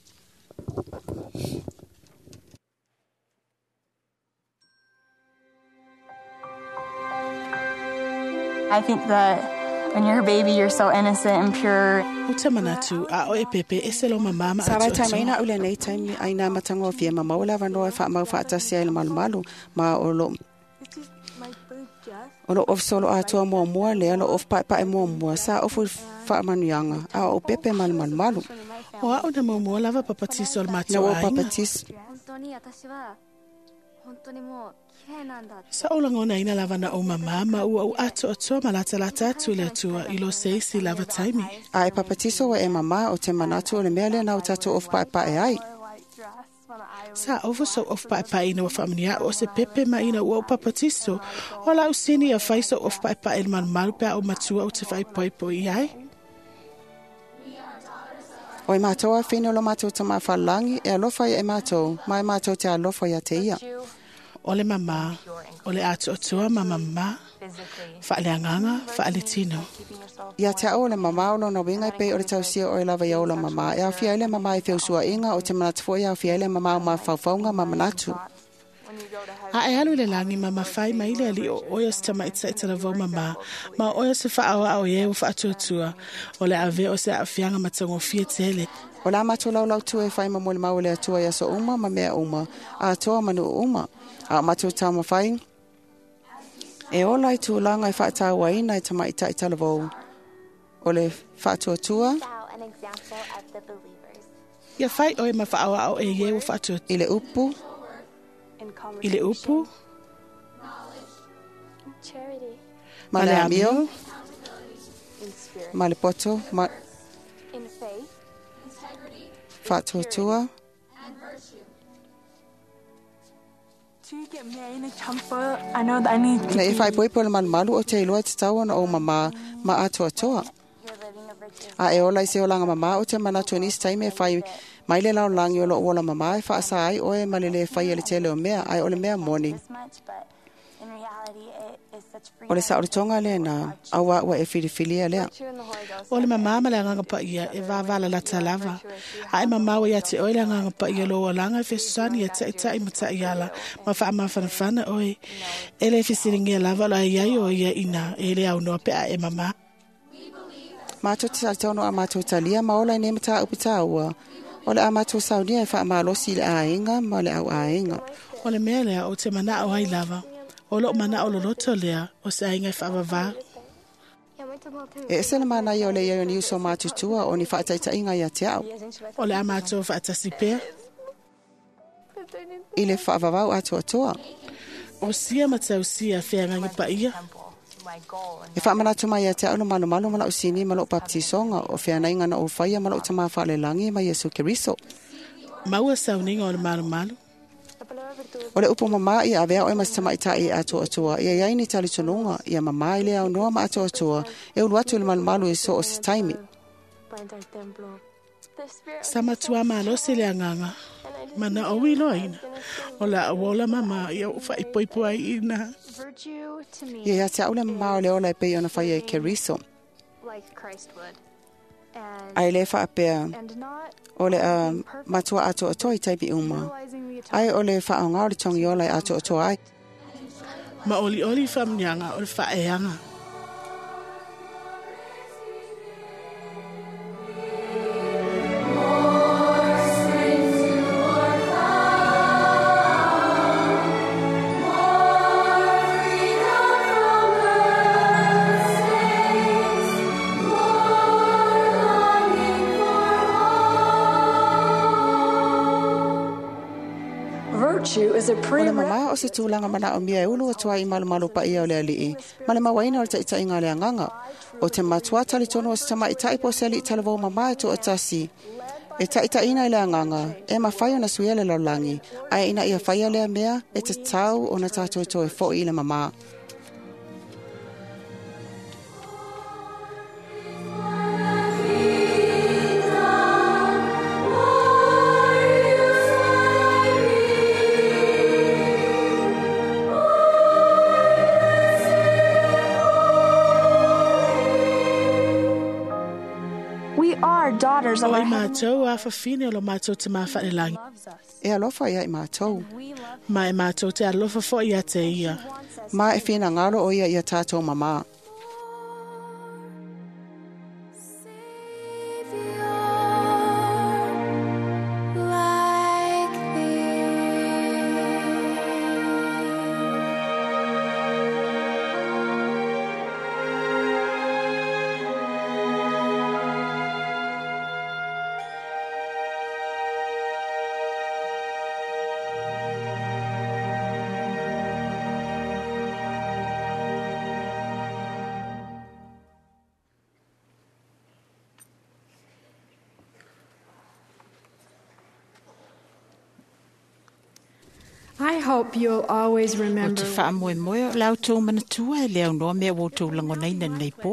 I think that when you're a baby, you're so innocent and pure. O te manatu a o e pepe e se lo mamama Sa vai atu taimi atu. aina o lenei taimi aina matagofie ma maua le avanoa e faamau faatasi ai le malumalu ma o lo O lo ofu solo atoa mua mua lea lo ofu paepae mua mua sa ofu faamanuiaga a o pepe ma le malumalu. O a'u na muamua lava papatiso o le Na matou ua aiga. papatiso. Sa ou lagonaina lava na ou mamā ma ua ou atoatoa ma latalata atu i le Atua i lo se isi lava taimi. A e papatiso ua e mamā o te manatu o le mea lea na o tatou ofu paepae ai. Sa ofu sou ofu paepae ina ua faamanuiaʻu o se pepe ma ina ua ou papatiso. O lau sini ia fai sou ofu paepae i le malumalu pe a ou matua ou te faaipoipo i ai. O e mātou a whina o lo mātou tama whalangi e alofa ia e mātou, ma e mātou te alofa ia te ia. O le mamā, o le atoatoa ma mamā, faaleagaga, faaletino. Ia te ao o le mamā o lona winga e pei o le tausia o e lava ia o la mamā. E awhia ele mamā i whiusuainga o te manatu fo e awhia ele mamā o mafaufauga ma manatu. A e alu i le lagi ma mafai mai le ali o oe o se tamaitaʻi talavou mamā, ma o oe o se faaoao i e ua faatuatua, o le avea o se aafiaga matagofie tele. O la mātou laulau tu e whai ma mo le mau le atua i aso uma ma mea uma, a atoa manu uma. A o mātou taumawhai, e ola i tūlanga e whaatauaina i tamaitaʻi talavou. O le faatuatua Ia fai oe ma faaoao e ie ua faatuatua. I le upu, I le upu, ma le amio, ma le poto, ma faatuatua. Na e whaipoipo le malumalu o te iloa te tau ona o mamā ma atoatoa. A e ola i se olanga mamā o te manatu nisi taimi e whai mai le laulangi o lo ola mamā e whaasa ai oe ma le le whai ele tele o mea, ai o le mea moni. O le saolotoga lea na, aua ua e filifilia lea. O le mamā ma le agaga paia e vavala lata lava. A e mamā ua ia te oe le agaga paia lo olaga e fesoasoani ia taʻitaʻi ma taʻiala ma faamafanafana oe. E le fesiligia lava o le aiai o ia ina e le aunoa pe a e mamā. Mātou te salitono a mātou talia ma ola i nei mata upu tāua. O le a mātou saunia e whaamalosi i le āinga ma le au āinga. O le mea lea o te manao ai lava. O loo manao loloto lea o se aiga e faavavā. E ese le mana ia o le ia o ni uso mātutua o ni whaataitainga ia te au. O le a mātou faatasi pea. I le whaavavau atoatoa. O sia ma tausia feagaga paia. E whaamanatu mai ia te au lo malumalu ma lau sini ma lau baptisonga o feanainga na o whaia ma lau tama whaalelangi ma Yesu Keriso. Maua sauniga o le malumalu. O le upu mamā ia avea oe mas tamaitai e atoatoa. Ia iai ni talitonunga, ia mamā i le au noa ma atoatoa. E ulu atu le malumalu e so o se taimi. Sa matua malosi le agaga. Mana o iloaina. O la ola mamā ia o faaipoipo ai ina. Ia ia te au le mamā o le ola e pei ona whaia e Keriso. Ai le whaapea o le uh, matua atoatoa i taipi uma. Ai o le whaonga o le tongi ola e atoatoa ai. Ma oli oli whamnianga o le whaeanga. O le mamā o se tūlanga mana o mia e ulu atua i malumalu pa ia o le alii. Ma le mawaina o le taitainga le anganga. O te matua talitono o se tamaitai po se alii talavou mamā e toatasi. E taitaina i le anganga, e mawhai ona suia le laulangi. Ai ina ia whaia lea mea, e te tau o na tātou toe foi i le mamā. O i mātou a whawhine o lo mātou te māwharelangi. E alofa ia i mātou. Ma e mātou te alofa fo ia te ia. Ma e whina ngaro o ia ia tātou mamā. I hope you'll always O te remember whaamoe moe o lau tō manatua e leo noa mea o tō langonaina nei pō.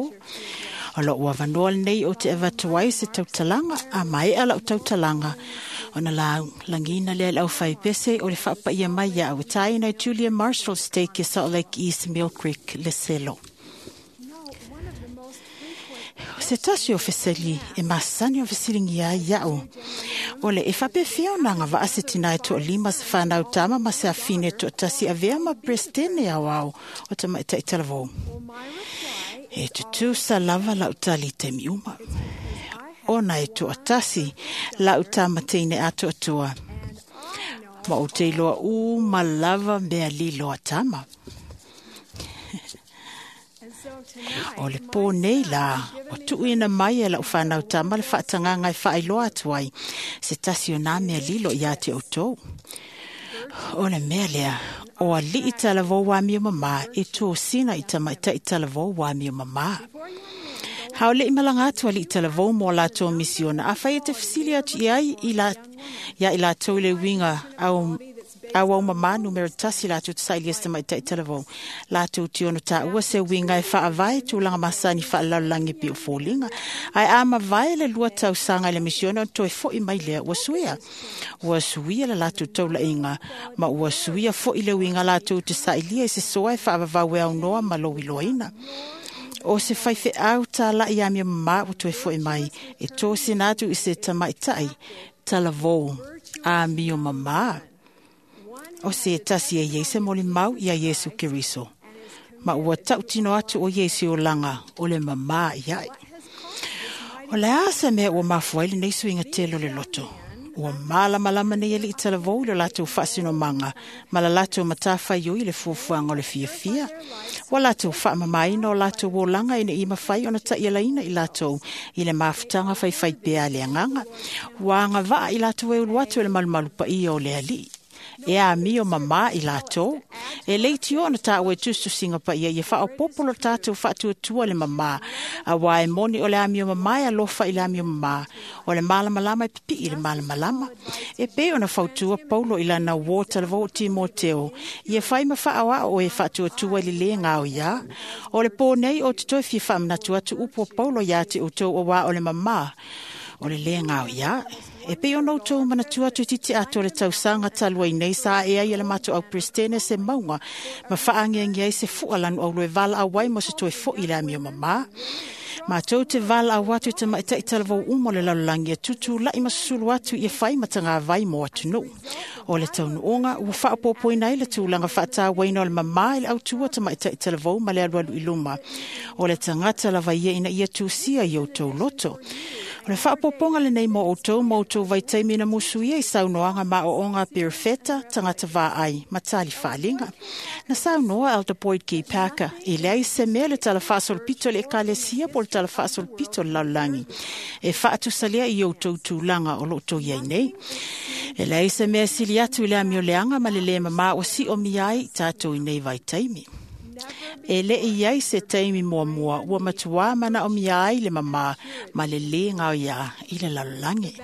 O lau wawanoa nei o te awatuai se tautalanga, a mai a lau tautalanga. O na lau langina lea lau whaipese o le whaapaia mai ia au taina Julia Marshall Stake Salt Lake East Mill Creek le selo. O se tasi o feseli e masani o fesilingi ia iau. O le e whapewhia o nanga waa se tina e toa lima se whanau tama ma se awhine toa tasi avea ma prestene au au o ta mai taitalavou. E tutu sa lava lau tali te miuma. Ona e toa tasi lau tama teine atoa toa. Ma o te loa u ma lava mea li loa tama. O le pō nei la, o tuuina mai e lau whanau tama le whaatanganga e whaailoa atu ai, se tasi o nā mea lilo ia te o tō. O le mea lea, o a lii talavou wā mio mama e tō sina i tamaitai talavou wā mio mama. Hao le imalanga atu a lii talavou mō lātou misiona, a whai e te fisili atu i ai i la, ia i lātou le winga au au au mama numero tasi lātou te saili este mai tai talavou. Lātou te ono tā ua se winga e whaavae tūlanga masani whaalalangi pi o fōlinga. Ai a mavae le lua tau sanga le misiona o toe foi mai lea ua suia. Ua suia le lātou taula inga, ma ua suia foi le winga lātou te sailia i se soa e whaavavau e au noa ma lo iloina. O se whaiwhe au tā lai a mea mama o toe foi mai, e tō sina atu i se tamaitai, talavou, a mio mama. O se tasi e Iese moli mau ia Iesu Keriso. Ma ua tautino atu o Iese o langa, o le mama iai. O le asa mea ua mafuai le nei suinga telo le loto. Ua malamalama nei e li talavou le latou faasino manga, ma la latou matawhai oi le fuafuaga o le fiafia. Ua latou faamamaina o latou olaga ina ia mafai ona ta'ialaina i latou i le mafutaga faifai pea a le agaga. Ua agavaa i latou e ulu atu e le malumalu paia o le alii. E a mio mama i latou. E leiti ona tā ue tustusinga pa ia ia whaopopolo lo tātou whaatuatua le mama. A wā e moni o le amio mama e alofa i le amio mama. O le malamalama e pipi i le malamalama. E pe ona fautua Paulo i lana wō talavou Timoteo. Ia whai ma whaawaa o e whaatuatua i le le ngao ia. O le pō nei o te toi fia whaamanatu atu upo Paulo ia te o tau o wā o le mama. O le le ngao ia. E pe ono tō manatua tu titi ato le tausanga talua i nei sa e ai le mato au prestene se maunga ma whaangiangi ai se fua lanu au loe vala awai mo se toe fo i le amio mama. Ma tau te vala au atu te maitai talavou umo le lalolagi e tutu lai masusulu atu i e whai matanga vai mo atu nuu. O le taunuonga ua whaapopoina ai le tūlanga whaatāwaina o le mama i le autua te maitai talavou ma le alualu i luma. O le tangata lava ia ina ia tūsia i o tau loto. O le whaapoponga le nei mō o tau mō tau vaitaimi na musu ia i saunoanga ma o onga perifeta tangata vā ai matali whaalinga. Na saunoa Elder Boyd G. Parker i lea i se mea le tala whaasolopito le ekalesia po le tala whaasolopito le lalolagi. E whaatusalia i o tau tūlanga o lo tau iai nei. E lea i se mea sili atu i le amio leanga ma le le mama o si o miai i tātou i nei vaitaimi. E le i ai se taimi mua mua ua matua mana o mia ai le mama ma le le ngao ia i le lalolagi.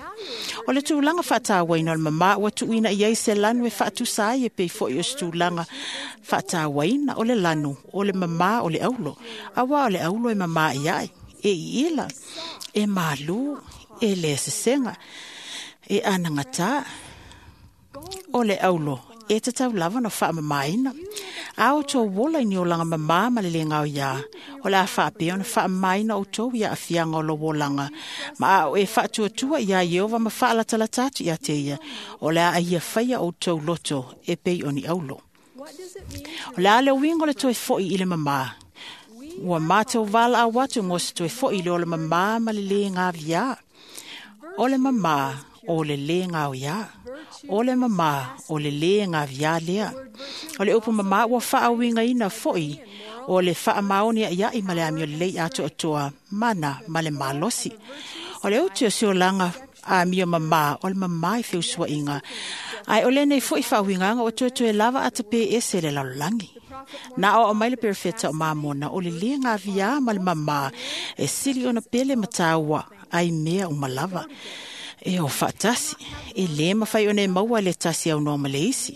O le tūlanga whaatāwaina o le mama ua tuuina i ai se lanu e whaatusa ai e pei foi o se tūlanga whaatāwaina o le lanu o le mama o le aulo. Awa o le aulo e mama i ai, e i ila, e malu, e le sesenga, e anangata. O le aulo e te tau lava no whaamamaina. A o tō wola i ni o langa mama ma le le ngao ia. O le a whaapea ona whaamamaina o tō ia awhianga o lo wolanga. Ma a o e whaatuatua ia Iova ma whaalatalata atu ia te ia. O le a ia whaia o tō loto e pei o ni aulo. O le a le wingo le toe foi i le mama. Ua mātou wala a watu mo se toe foi i le o le mama ma le le ngā via. O le mama o le le ngao ia. O le mama o le le ngā via lea. O le upu mama ua whaawinga ina foi. O le whaamaoni a ia i ma le amio lei atu atoa mana ma le malosi. O le uti o se olanga a mio mama o le mama i whiusua inga. Ai o le nei foi whaawinga o tuatue lava atape ese le lalolagi. Nā o mai le perfeta o mamona o le le ngā via ma le mama e sili ona pele mataua ai mea o malava. E o faatasi, e lē mafai ona e maua le tasi aunoa ma le isi,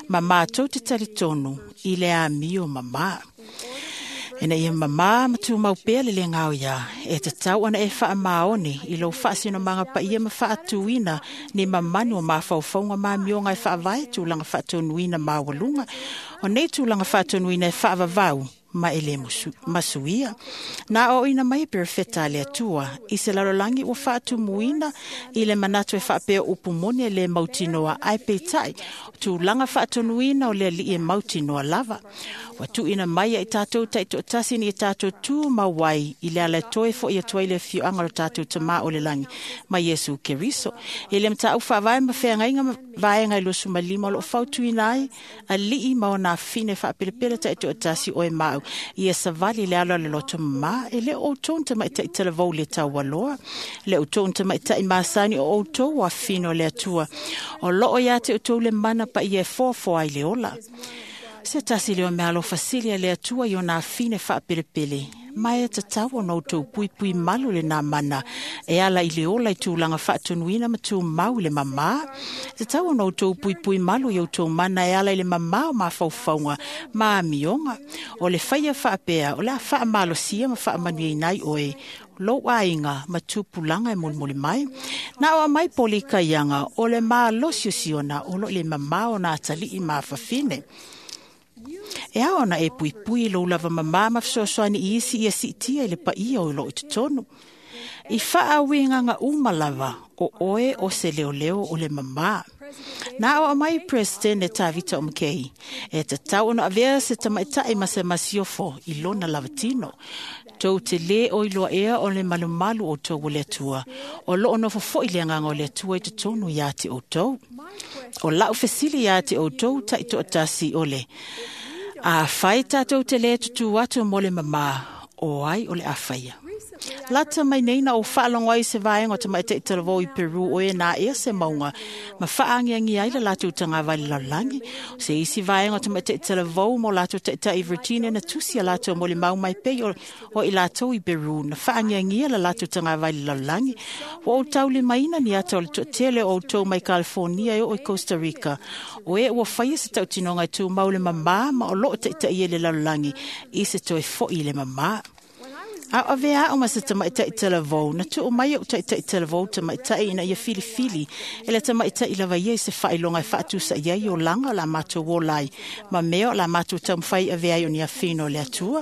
ma matou te talitonu i le amio mamā. Ina ia mamā ma tumau pea le le gaoiā, e tatau ona e faamaoni i lou faasinomaga paia ma faatuina ni mamanu o mafaufauga ma amioga e faavae tulaga faatonuina maualuga. O nei tulaga faatonuina e faavavau ma e lē masuia. Na aoaoina mai e perofeta a le Atua i se lalolagi ua faatumuina i le manatu e faapea o upu moni e lē mautinoa, ae peitai o tulaga faatonuina o le alii e mautinoa lava. Ua tuuina mai ai tatou taitoatasi ni tatou tu mau ai i le ala e toe fo'i atu ai le afioaga o lo tatou Tamā o le lagi ma Iesu Keriso. I le mataupu faavae ma feagaiga vaega e luasefulumalima o loo fautuina ai alii ma ona afine faapelepele taitoatasi o e mau ia savali le ala o le loto mamā. E le o outou ni tamaitai talavou le taualoa, le outou ni tamaitai masani o outou o afine o le Atua. O loo ia te outou le mana paia e foafoa ai le ola. Se tasi lea o meaalofa sili a le Atua i ona afine faapelepele, ma e tatau ona outou puipui malu lenā mana e ala i le ola i tulaga faatonuina ma tumau i le mamā. E tatau ona outou puipui malu i outou mana e ala i le mamā o mafaufauga ma amioga. O le faia faapea o le a faamalosia ma faamanuiaina ai oe, lou aiga ma tupulaga e molimoli mai. Na o mai poli kaiaga o le malosiosiona o loo i le mamā o na atalii ma afafine. E ao ona e puipui i lou lava mamā ma fesoasoani i isi ia siitia i le paia o loo i totonu. I faauigaga uma lava o oe o se leoleo o le mamā. Na o mai President e Tavita o Makei, e tatau ona avea se tamaitai ma se masiofo i lona lava tino. Tou te lē o iloa ea o le malumalu o tou o le Atua, o loo nofo fo'i le agaga o le Atua i totonu iā te outou. O lau fesili iā te outou taitoatasi o le, a fai tatou te lē tutū atu mo le mamā, o ai o le afaia. Lata mai nei na o faalogo ai se vaega o tamaitai talavou i Peru o e na ea se mauga ma faagiagi ai le latou tagava i le lalolagi. O se isi vaega o tamaitai talavou mo latou taitai i Virginia na tusi a latou molimau mai pei o, o i latou i Peru na faagiagia le latou tagava i le lalolagi. Ua ou taulimaina ni ata o le toatele o outou mai California e oo i Costa Rica. O e ua faia se tautinoga e tumau le mamā ma o loo taitaia le lalolagi i se toe fo'i i le mamā. A o avea ao ma se tamaitai talavou, na tuu mai o taitai talavou tamaitai ina ia filifili, e le tamaitai lava ia i se faailoga e faatusa i ai o laga o la matou ola ai, ma mea o la matou taumafai avea ai o ni afino o le Atua.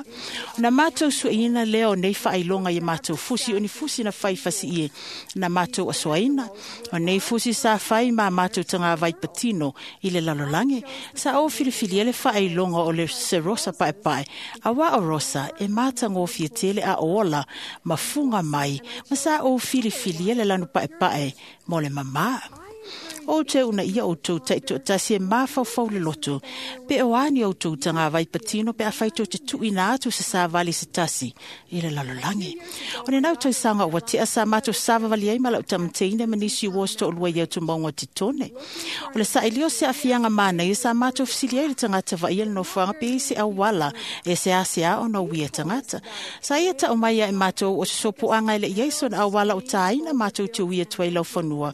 Na matou sueina lea o nei faailoga ia matou fusi o ni fusi na fai fasiie na matou asoaina. O nei fusi sa fai ma matou tagavai patino i le lalolagi. Sa o filifilia le faailoga o le se rosa paepae, auā o rosa e matagofie tele a ola ma fuga mai, ma sa ou filifilia le lanu paepae mo le mamā. O te una ia outou taitoatasi e mafaufau le loto, pe o a ni outou tagavai patino pe afai tou te tuuina atu se savali se tasi i le lalolagi. O lenau tausaga ua tea sa matou savavali ai ma lau tamateina ma nisi uo se toalua i atumoga o Titone. O le sailio se aafiaga manaia sa matou fesili ai le tagata vaaia le nofoaga pe i se auala e seasea ona uia tagata. Sa ia tau mai ai matou o se sopoaga e le i ai sona auala o tāina matou te ui atu ai laufanua.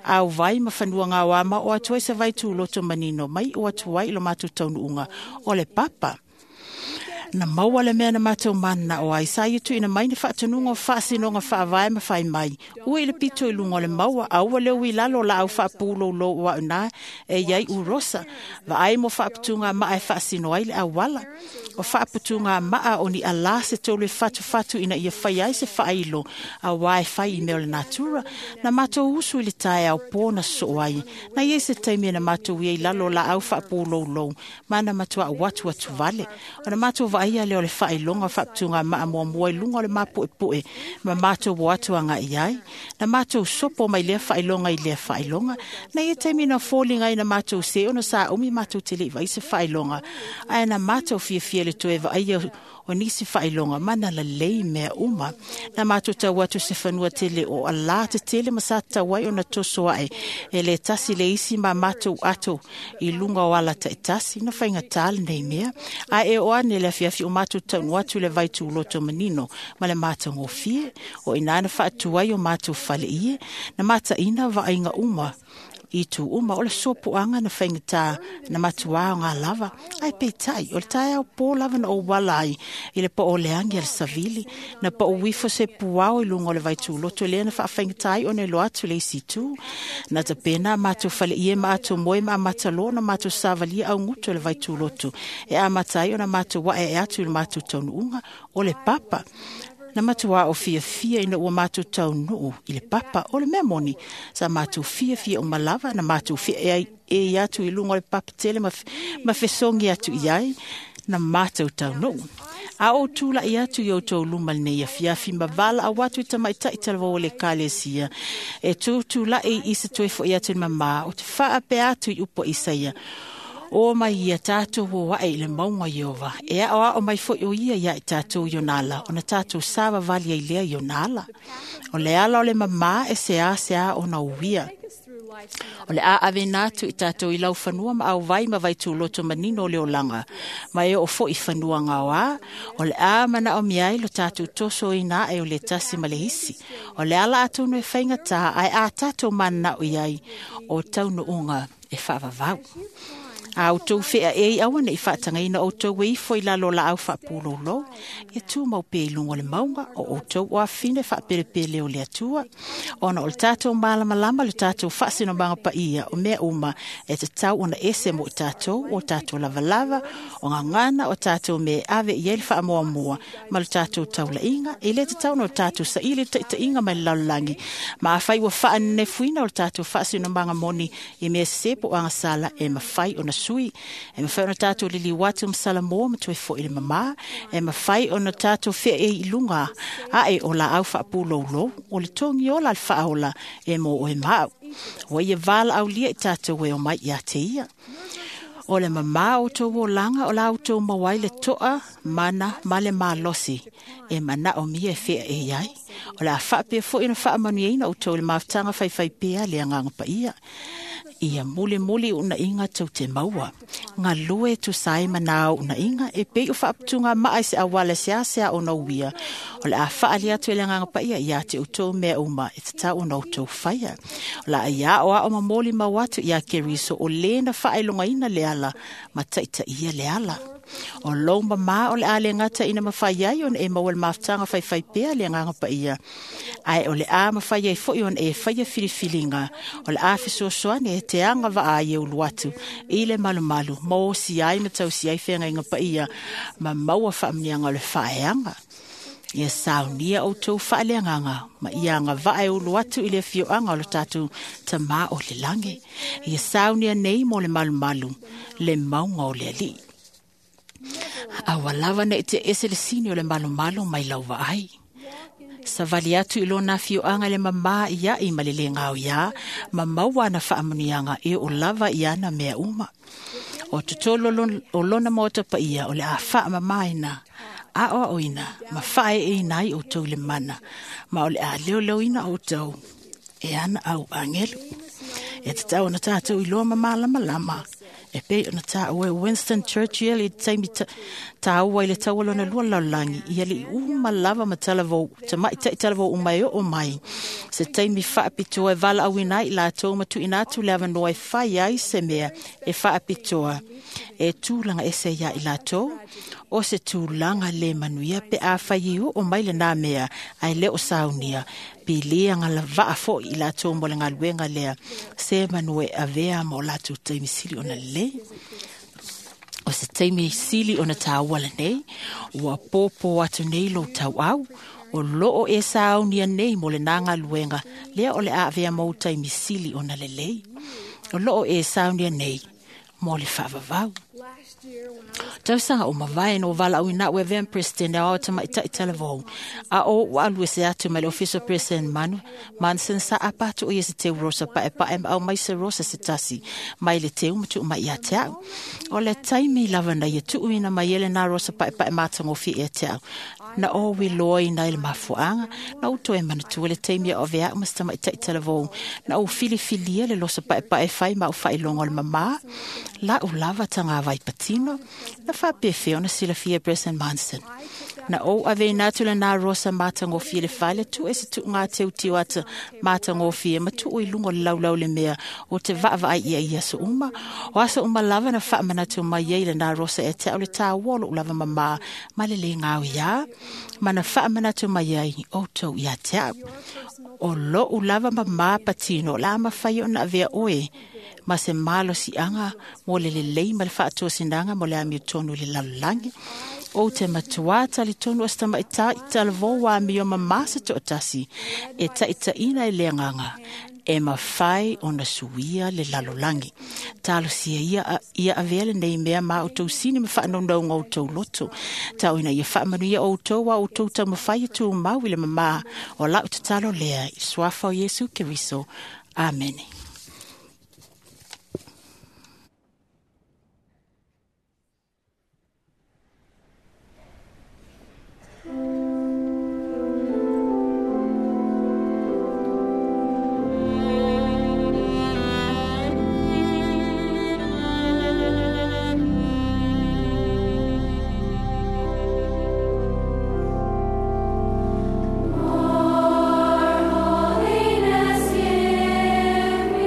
Au vai ma fanua gaoa ma o atu ai se vai tuloto manino mai o atu ai i lo matou taunuuga o le papa. Na maua le mea na matou mana o ai sa ia tuuina mai ni faatonuga o faasinoga faavae ma fai mai. Ua i le pito i luga o le maua, aua le ui lalo o laau faapulou o au na e iai u rosa. Vaai mo faaputuga maa e faasino ai le auala. O faaputuga maa o ni alā se tolu e fatufatu ina ia fai ai se faailo auā e fai i mea o le natura. Na matou usu i le taeao pō na sosoo ai. Na iai se taimi na matou ia i lalo o laau faapouloulou ma na matuā atu atu vale. O na matou vaaia lea o le faailoga o faaputuga maa muamua i luga o le mapuepue ma matou o atu agaʻi ai. Na matou sopo mai lea faailoga i lea faailoga. Na ia taimi na foliga ai na matou se ona sa umi matou te leʻi vaai se faailoga, ae na matou fiafia le toe vaaia O nisi whailonga mana la lei mea uma. Na mātou tau atu se whanua tele o ala te tele ma sa tawai o na toso ae. E le tasi le isi ma mātou ato i lunga o ala ta tasi na whainga tale nei mea. A e o ane le afiafi o mātou taunu atu le vaitu loto manino ma le mātou ngofie. O inana whaatuai o mātou whale ie. Na māta ina vainga uma. I tū uma o le sopo anga na whaingata na matua o ngā lava. Ai peitai, o le tae au pō lava na o walai i le po o leangi al savili. Na po o wifo se puao i lunga o le vaitūloto lea na whaawhaingatai o ne lo atu le isi tū. Na ta pēnā mātou whale ie mātou moe ma matalo na mātou savalia au ngutu le vaitūloto. E a matai o na mātou wae e atu i le mātou taunuunga o le papa. Na matua o fia fia ina ua mātou taunuu i le papa o le mea moni. Sa mātou fia fia o malava na mātou fia e, e i atu i lunga o le papa tele ma, ma fesongi atu i ai na mātou taunuu. A o tūla i atu i o tau luma nei a fiafi ma vala au atu i tamaitai talava o le kalesia. E tū tūla e i se toe fo i atu i mama o te whaape atu i upo Isaia. O mai ia tātou o wae i le maunga Iova. E ao ao mai fo o ia ia i tātou i onala. O na tātou sawa vali ai lea i onala. O le ala o le mama e se a se a o na uia. O le a ave nātu i tātou i lau whanua ma au vai ma vai tūloto manino o le olanga. Ma e o fo i whanua ngā a. O le a mana o miai lo tātou toso i nā e o le tasi ma le hisi. O le ala atonu e whainga tā ai a tātou mana o iai o taunu unga e whaavavau. A o tau whea e i awana i whaatangaina o tau e ifo i lalo la au whaapūlolo. E tū mau pe i lunga le maunga o o tau o awhine whaaperepele o le atua. Ona o le tātou malamalama le tātou whaasino manga pa ia o mea uma e te tau ona ese mo tātou o tātou lavalava o ngā ngana o tātou me ave i ele whaamoa mua ma le tātou taulainga e le te tau no tātou sa ile te te inga mai lallangi. Ma awhai ua whaanefuina o le tātou whaasino manga moni i mea sepo anga sala e mawhai ona sui. E mawhai ona tātou lili watu msala moa ma tue fo i le mama. E mawhai ona tātou whea e i lunga. A e o la au whaapūlolo. O le tongi ola le whaola e mō o e mau. O ia wala au lia i tātou e o mai ia te ia. O le mama o tō o langa o la au tō mawai le toa mana ma le malosi. E mana o mia e whea e iai. O la whaapea fo ina whaamanuina o tō le mawtanga whaiwhai pea le anganga pa ia. Ia muli muli una inga tau te maua. Ngā lue tu sai manao una inga e pei o whaaputunga maa se awala se asea o nauia. O le a whaali atu e le nganga pa ia ia te utou mea uma e te tau o nautou whaia. O la ia o a o mamoli mau atu ia keriso o lena whaelonga ina le ala ma taita ia le ala. O lou mama o le a le ngata ina mawhai ai ona e maua le mawhtanga whaiwhai pea le nganga pa ia. Ai o le a mawhai ai foi ona e whaia whiriwhiringa. O le a whisosoane e te anga waa i e uluatu. I le malumalu, mō si ai matau si ai whenga inga pa ia. Ma maua whaamnianga o le whaeanga. Ia saunia o tau whaaleanganga. Ma ia anga waa e uluatu i le fioanga o le tātou tamā o le lange. Ia saunia nei mō le malumalu, le maunga o le ali. Awa lava nei te ese le sini o le malumalu mai lauva ai. Savali atu i lona fioanga le mama ia i malele ngau ia, ma maua na whaamunianga e o lava ia na mea uma. O totolo o lona mota pa ia o le a whaamamaina, a o oina, ma whae e inai o tau le mana, ma o le a leo leo ina o tau, e ana au angelu. E te tau na tātou i loa mamalama lama. E pei ona tā ue Winston Churchill i taimi tāua i le taualona lua laulangi. I ali uma lava ma talavou, tamai tai talavou umai o mai. Se taimi whaapitoa e vala awina i lātou matu ina atu le awanoa e whai ai se mea e whaapitoa. E tūlanga e se ia i lātou. O se tūlanga le manuia pe a whai o mai le nā mea ai le o saunia. Pilia ngā la vaa fo i lātou mo le ngā lea. Se manue avea mo lātou taimi sili ona le. O se taimi sili ona tāua nei. Ua pōpō atu nei lo tau au. O loo e saunia nei mo le nā ngā luenga. Lea o le avea mo taimi sili ona le lei. O loo e saunia nei mo le whaavavau. Tausaga o mavae no valaauina a'u e avea ma Peresetene Aoao Tamaitai Talavou, a o ua alu ese atu mai le Ofisa o Peresetene Manu Manson sa apa atu o ia se teu rosa paepae ma aumai se rosa se tasi mai le teu ma tuu mai ia te a'u. O le taimi lava na ia tuuina mai ai lenā rosa paepae matagofie ia te a'u. Na ou iloaina i le mafuaaga, na ou toe manatua le taimi a o avea a'u ma se tamaitai talavou, na ou filifilia le losa paepae fai ma au faailoga o le mamā, la'u lava tagavai patino, na faapefea ona silafia e President Monson. Na ou aveina atu lenā rosa matagofie i le fale, tuu e se tuuga teuteu ata matagofie ma tuu i luga o le laulau le mea o te vaavaai ia i aso uma. O aso uma lava na faamanatu mai ai lenā rosa e te a'u le tāua o lo'u lava mamā ma le lē gaoiā, ma na faamanatu mai ai outou ia te a'u. O lo'u lava mamā patino o le a mafai ona avea oe ma se malosiaga mo le lelei ma le faatosinaga mo le amiotonu i le lalolagi. Ou te matuā talitonu o se tamaitai talavou amio mamā se toatasi e taʻitaʻina i le agaga e mafai ona suia le lalolagi. Talosia ia, ia avea lenei mea ma outou sini ma faanaunauga o outou loto. Tauina ia faamanuia outou a outou taumafai e tumau i le mamā o la'u tatalo lea i le suafa o Iesu Keriso. Amene. Holiness, give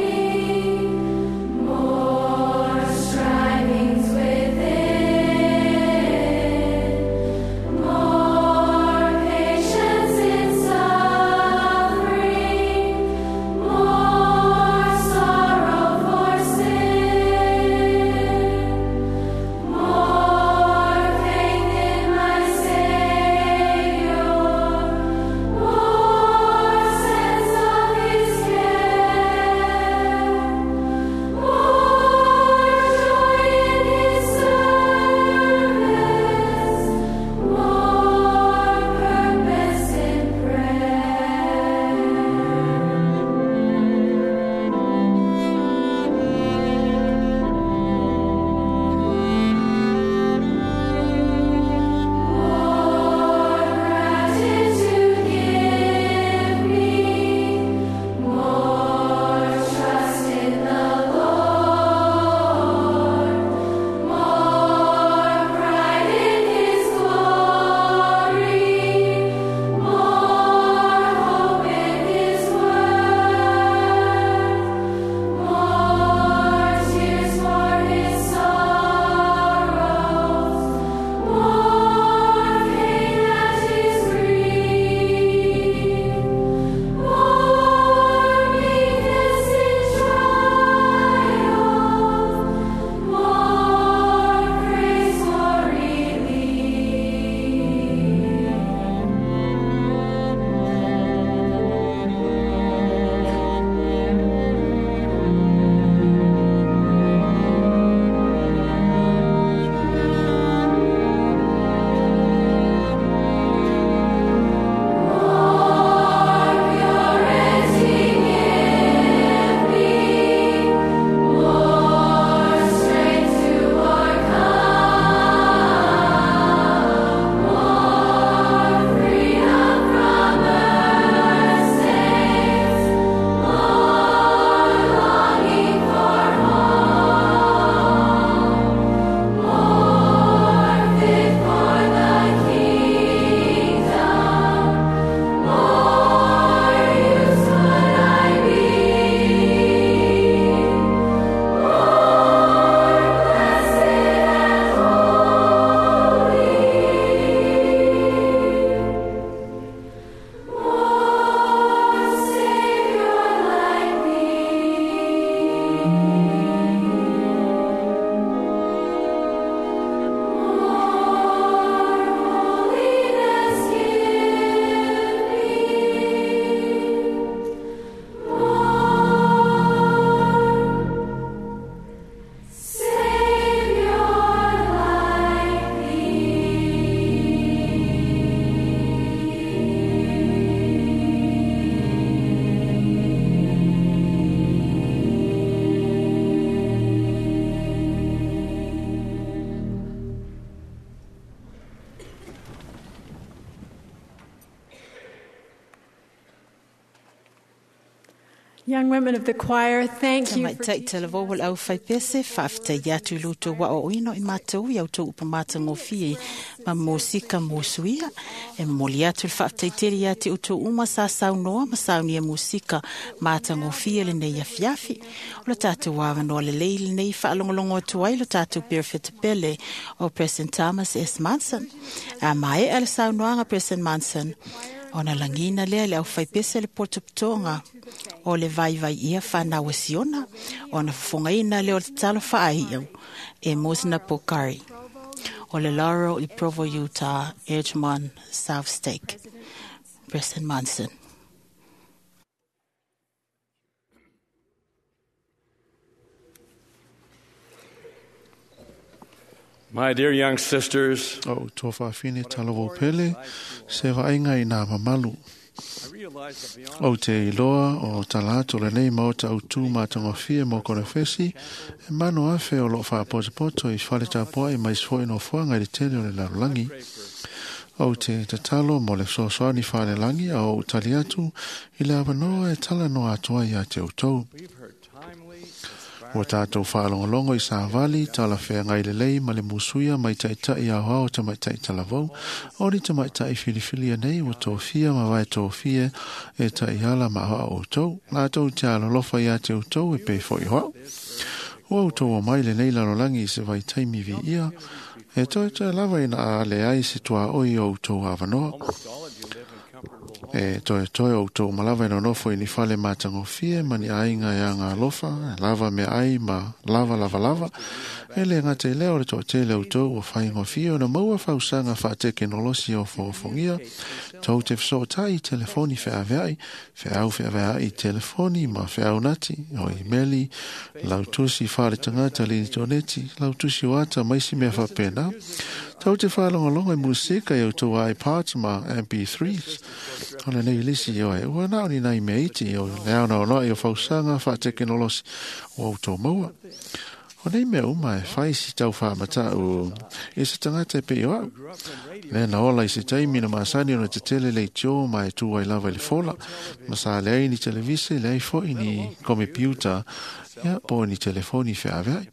Young women of the choir, thank you for Tamaitai talavou o le aufaipese faafetai atu i lo outou aoaoina o i matou ia outou upu matagofie ma mosika mosuia. E momoli atu le faafetai tele ia te outou uma sa saunoa ma saunia musika matagofie lenei afiafi. O le tatou avanoa lelei lenei faalogologo atu ai lo tatou Perefeta pele o President Thomas S. Monson. A maea le saunoaga President Monson, ona lagina lea le aufaipese le potopotoga o le vaivai ia whanau siona ona fofogaina lea o le tatalo faaiau e Mosna Pokari o le Laurel i Provo, Utah, Edgemont, South Stake. President Monson. My dear young sisters, O tō whawhine talavou pele, se vainga i nā mamalu. I realize that beyond O te iloa o talato le nei maota au tū mātangofie mō kona whesi, e mano afe o lo whaapotopoto i whale tapoa i mais foi no fuanga i le tele o le larolangi. O te tatalo mo le sosoani whale langi a o utali atu i le awanoa e tala noa atua i a te utou. we've heard timely, Ua tātou whaalongolongo i sāwali, tala whea ngai le lei ma le musuia mai taitai au hao ta mai tai talavou, o ni ta mai tai filifilia nei ua tōfia ma vai tōfia e tai ala ma hoa o tau, ngā tau te alolofa i a te utou e pe fo i hoa. Ua utou o mai le nei lalolangi i se vai taimi vi ia, e toi te lava ina a le ai se tua oi o utou awanoa. almost all of you live in comfortable homes. E toe toe o tō malawa e nonofo i ni fale mātangofie ma ni ainga e anga alofa, e lava me ai ma lava lava lava. E le ngā te leo le tō tele o tō o whaingofie o na maua whausanga wha tekenolosi o whoofongia. Tau te whasootai i telefoni wheaweai, wheau wheaweai i telefoni ma wheau nati, o i meli, lautusi whare tangata li toneti, lautusi o ata maisi mea whapena. Tau te whalongolongo i musika i o tō iPods ma M P threes. O le nei lisi o e ua nao ni nai mea iti o le ao nao noa i o whausanga wha tekenolosi o au tō maua. O nei mea uma e whai si tau whaamata o i se tangata e pei o au. Le na ola i se taimi na maasani o na te tele le tio ma e tū ai lava i le fola. Ma sa le ai ni televise, le ai foi ni komipiuta, ia po ni telefoni wheaweai.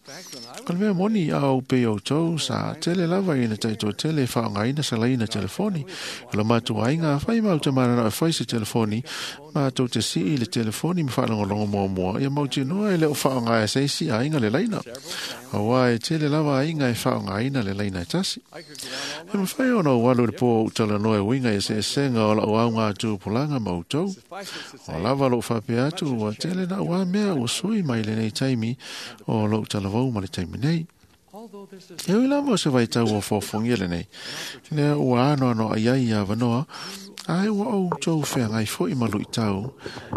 Ko le mea moni au pe o tau sa tele lava i na taito tele whaongaina sa laina telefoni. O la mātua ainga whai mau te marana e whai se telefoni, mātou te sii le telefoni me whaalongolongo mua mua. Ia mau te noa e leo whaongaia se isi ainga le laina. Aua e tele lava ainga e whaongaina le laina e tasi. E mawhai ona o walu le pō o utala noa e winga e se esenga o lau au ngā tūpulanga mau tau. O lava lou whapea atu ua tele na ua mea ua sui mai le nei taimi o lou talavou ma le taimi nei. Although this is E ui lava o se vaitau o fōfongia le nei. Lea ua ano ano ai ai ia wanoa, ai ua au tau whea ngai fo i malu i tau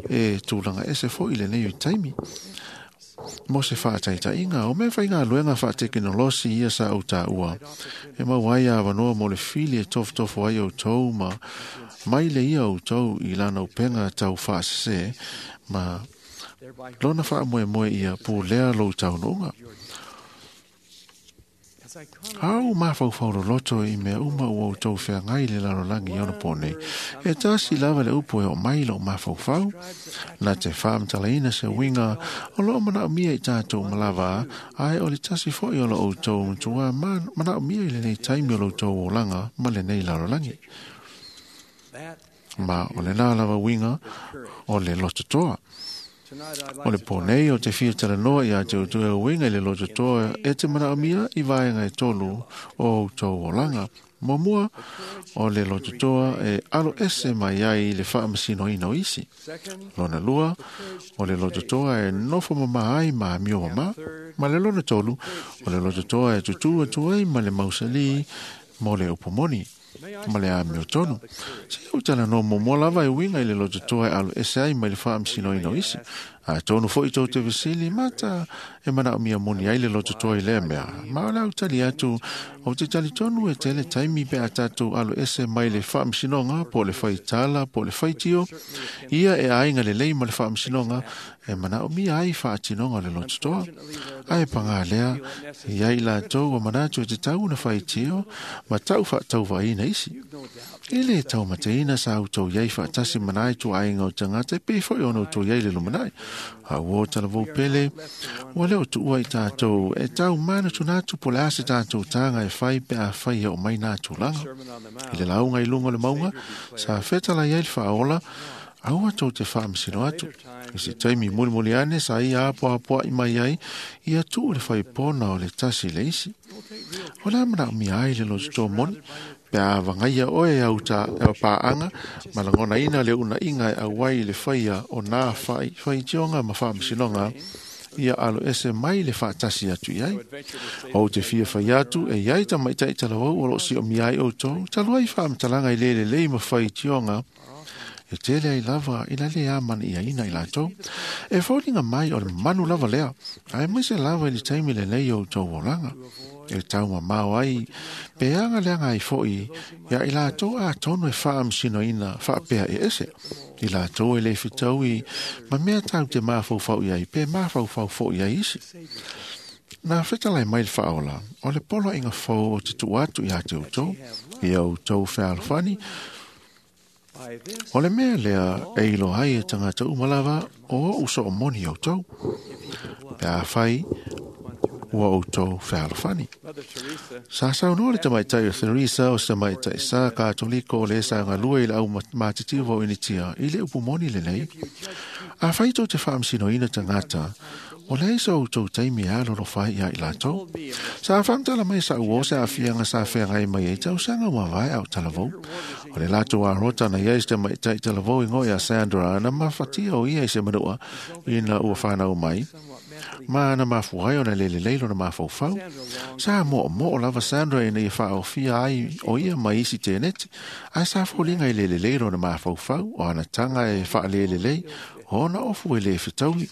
e tūlanga ese fo i le nei ui taimi. Mo se whaataitainga, o mea whai ngā luenga whaatekenolosi ia sa au tā ua. E mau ai a wanoa mo le fili e tofutofo ai au tau ma mai le ia au tau i lana upenga tau whaasese ma thereby lona wha moe moe ia pū lea lou tau noonga. as I come Au mawhauwhau loloto i mea uma ua o tau whea ngai le lalolangi i ona pōnei. E tasi lava le upo e o mai lo mawhauwhau. Nā te whaamtalaina se winga o loo manao mia i tātou malawa, ai o le tasi foi o lo o tau matua manao mia i le nei taimi o lo tau o langa ma le nei lalolangi. that Ma o le nā lava winga o le lototoa. tonight I'd O like le to pō talk nei o te whia talanoa i a te utua winga i le lototoa e te manao mia i vaenga e tolu o tau o langa. Mua o le lototoa e alo ese mai ai i le whaamasino ina o isi. second Lona lua, o le lototoa e nofo mama ai ma mio mama. Ma le lona tolu, o le lototoa e tutu atu ai ma le mausali mo le upomoni. Ma le a mio tonu. Se au tala no mo lava e winga i le lototoa e alo ese ai mai le whaamasino ina o isi. A tonu foi tau te vesili mata e mana o mia moni ai le lototoa i lea mea. Ma o le au tali atu o te tali tonu e tele taimi pe a tātou alo ese mai le whaamsinonga po le whaitala po le whaitio. Ia e ainga le lei ma le whaamsinonga e mana o mia ai whaatinonga le lototoa. Ai panga lea i ai la tau o manatu e te tau na whaitio ma tau whaatau vaina isi. E le taumateina sa outou iai faatasi ma nai ituaiga o tagata e pei foi ona outou iai le lumanai. A ua talavou pele, ua le o tuua i tatou e tau manatunatu po o le a se tatou taga e fai pe afai e oo mai na tulaga. I le lauga i luga o le mauga, sa fetalai ai le faaola, aua tou te faamasino atu. I se taimi mulimuli ane sa ia apoapoaʻi mai ai, ia tuu le faipona o le tasi le isi. O le a manaomia ai le lototo moni, pe a vagaia oe au ta au paaga ma lagonaina le unaiga e auai i le faia o nā fai faitioga ma faamasinoga ia alo ese mai le faatasi atu i ai. Ou te fia fai atu e iai tamaitai talavou o loo siomia ai outou, talu ai faamatalaga i le lelei ma faitioga e tele ai lava ina le amana'iaina i latou. E foliga mai o le manu lava lea, ae maise lava i le taimi lenei o outou olaga. E taumamao ai pe aga leaga ai fo'i ia i latou atonu e faamasinoina faapea e ese. I latou e le fetaui ma mea tatou te mafaufau i ai pe mafaufau fo'i ai isi. Na fetalai mai le faaola, o le poloaiga fou o te tuu atu iā te outou, ia outou fealofani. O le mea lea e iloa ai e tagata uma lava o oʻu soomoni outou, pe afai ua outou fealofani. Sa saunoa le tamaitai o Theresa o se tamaitai sa Katoliko o le sa galue i le au matitiva o Initia i le upu moni lenei. Afai tou te faamasinoina tagata, o leai so outou taimi e alolofa ai ia i latou. Sa faamatala mai sa uo se aafiaga sa feagai mai ai tausaga ua vae au talavou. O le latou arota na iai se tamaitai talavou igoa ia Sandra na mafatia o ia i se manua ina ua fanau mai. Ma na mafua ai ona lelelei lona mafaufau. Sa moomoo lava Sandra ina ia faaofia ai o ia ma isi teneti, ae sa foliga i lelelei lona mafaufau o ana taga e faalelelei ona ofu e le fetaui.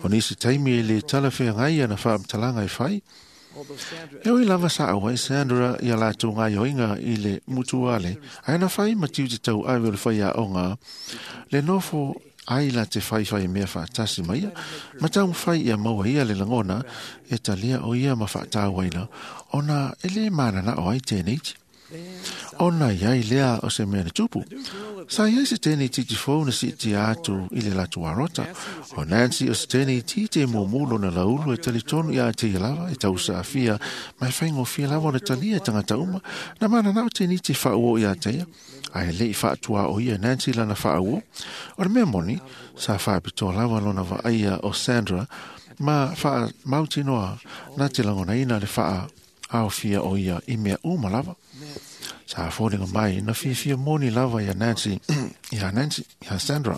O nisi taimi e le talafeagai ana faamatalaga e fai. E ui lava sa au ai Sandra ia latou gaioiga i le mutuale, ae na fai ma tiute tauave o le faiaoga le nofo ai la te faifai mea faatasi ma ia, ma taumafai ia maua ia le lagona e talia o ia ma faatauaina ona e lē mananao ai teneiti. Ona iai lea o se mea na tupu. Sa iai se teneititi fou na siitia atu i le latou arota. O Nancy o se teneititi e mumu lona laulu e talitonu iā te ia lava e tausaafia ma e faigofie lava ona talia e tagata uma na mananao teneiti faauo iā te ia. Ae leʻi faatuā o ia Nancy lana faauo. O le mea moni, sa faapitoa lava lona vaaia o Sandra ma faamautinoa na te lagonaina le faa aofia o ia i mea uma lava. Sa foliga mai na fiafia moni lava ia Nancy, ia Nancy, ia Sandra.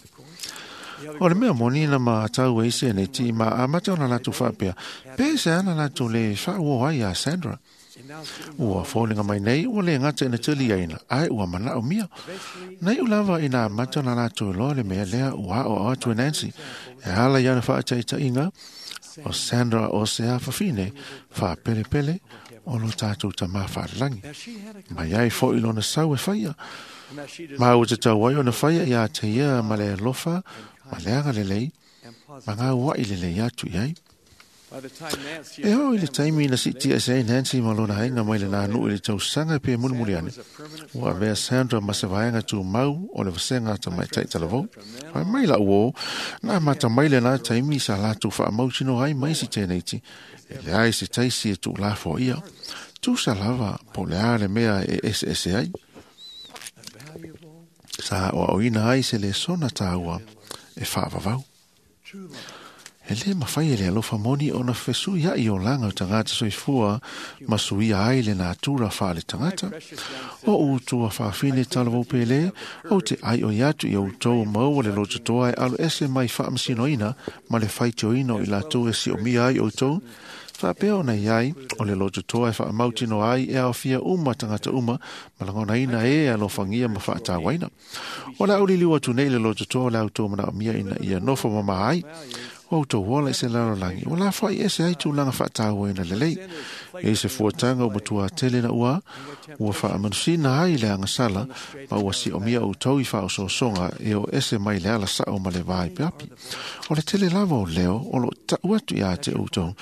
O le mea moni na matau ai se nei ma amata ona latou faapea, pe se ana latou le faauo ai ia Sandra. Ua foliga mai nei ua le gata ina taliaina, ae ua manaomia. Na iu lava ina amata ona latou iloa le mea lea ua aoao atu e Nancy. E ala i ana faataitaiga, o Sandra o se afafine faapelepele o lo tatou tamā faalelagi. Mai ai foʻi lona sau e faia. Ma ua tatau ai ona faia iā te ia ma le alofa, ma le agalelei, ma gauaʻi lelei atu i ai. E oo i le taimi na siitia ese ai Nancy ma lona aiga mai lenā nuu i le tausaga pe mulimuli ane. Ua avea Sandra ma se vaega tumau o le vasega tamaitai talavou. Fai mai lau uō, na amata mai lenā taimi sa latou faamautinoa ai ma isi teneiti, e leai se taisi e tuulafoaia. Tusa lava po o le a le mea e eseese ai. Sa aoaoina ai se lesona taua e faavavau. E lē mafai e le alofa moni ona fesuiaʻi olaga o tagata soifua ma suia ai le natura faale tagata. O utua faafine talavou pele, ou te ai oi atu i outou maua le lototoa e alo ese mai faamasinoina ma le faitioina o i latou e siomia ai outou, faapea ona iai o le lototoa e faamautinoa ai e aofia uma tagata uma ma lagonaina e alofagia ma faatauaina. O le auliliu atu nei le lototoa o le autou manaomia ina ia nofo mamā ai. O outou ola i se lalolagi ua lafoai ese ai tulaga faatauaina lelei. E se fuataga ua matua tele na ua ua faamanusina ai le agasala ma ua siomia outou i faaosoosoga e o ese mai le ala sao ma le va i peapi. O le tele lava o leo o loo taʻu atu iā te outou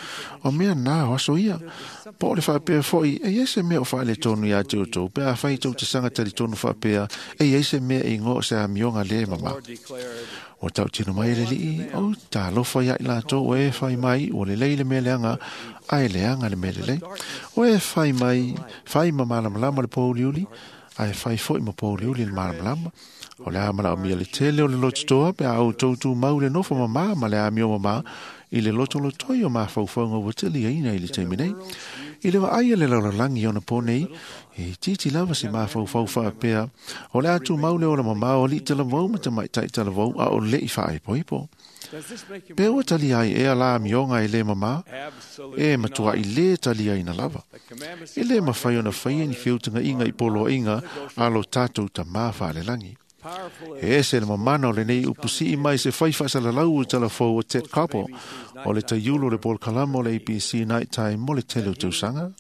o mea na o aso ia. Po o le faapea foʻi e iai se mea o faaletonu iā te outou pe afai tou te saga talitonu faapea e iai se mea e igoa o se amioga lē mamā. Ua tautino mai e le alii o talofa ia i latou o e fai mai ua lelei le mea leaga ae leaga le mea lelei. O e fai mai fai ma malamalama le pouliuli ae fai foʻi ma pouliuli le malamalama. O le a manaomia le tele o le lototoa pe a outou tumau le nofo mamā ma le amio mamā i le lotolotoi o mafaufauga ua teliaina i le taimi nei. I le vaai a le lalolagi ona po nei, e itiiti lava se mafaufau faapea o le a tumau le ola mamā o alii talavou ma tamaitai talavou a o leʻi faaaipoipo. Pe ua talia ai ea la amioga e lē mamā, e matuaʻi lē taliaina lava. E lē mafai ona faia ni feutagaiga i poloaiga a lo tatou tamā faalelagi. E ese le mamana o lenei upusii mai se fai faasalalau o talafou o Ted Koppel o le taiulu o le polokalama o le A B C Night Time mo le tele o tausaga.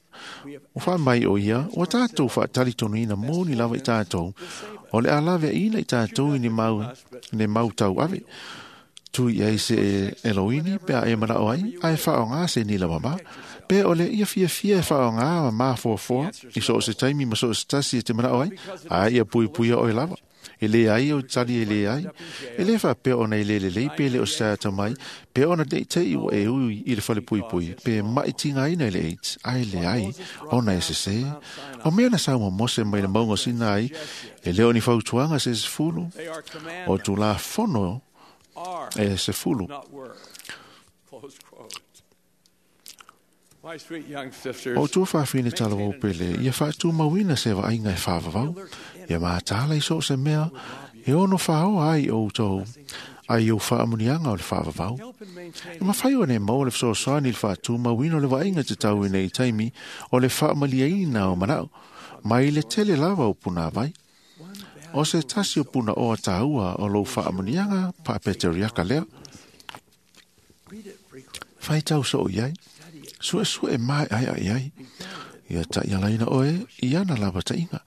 O faamai o ia, ua tatou faatalitonuina moni lava i tatou, o le a laveaina i tatou i ni mau, ni mau tauave. Tui ai se eloini pe a e manao ai, ae faaaogā se nila mamā. Pe o le ia fiafia e faaaogā ma mafoafoa i so o se taimi ma so o se tasi e te manao ai, a ia puipuia oe lava. E lē ai o tali e lē ai. E lē faapea ona e lē lelei pe le o se atamai, pe ona leʻi ua e ui i le falepuipui, pe maʻitigaina i le AIDS, ae leai ona e sesē. O mea na sauma Mose mai le mauga o Sinai, e le o ni fautuaga se sefulu, o tulafono e sefulu. O tua faafine talavou pele, ia faatumauina se vaaiga e faavavau, ia matala i so o se mea, e ono faaoa ai outou, ai ou faamuniaga o le faavavau. E mafai ona e maua le fesoasoani i le faatumauina o le vaaiga tatauina i taimi o le faamaliaina o manao, mai le tele lava o punāvai. O se tasi o punaoa tāua o lou faamuniaga faapeteriaka lea. Faitau soo iai, suesue mae ai ai ai, ia taʻialaina oe i ana lava taʻiga.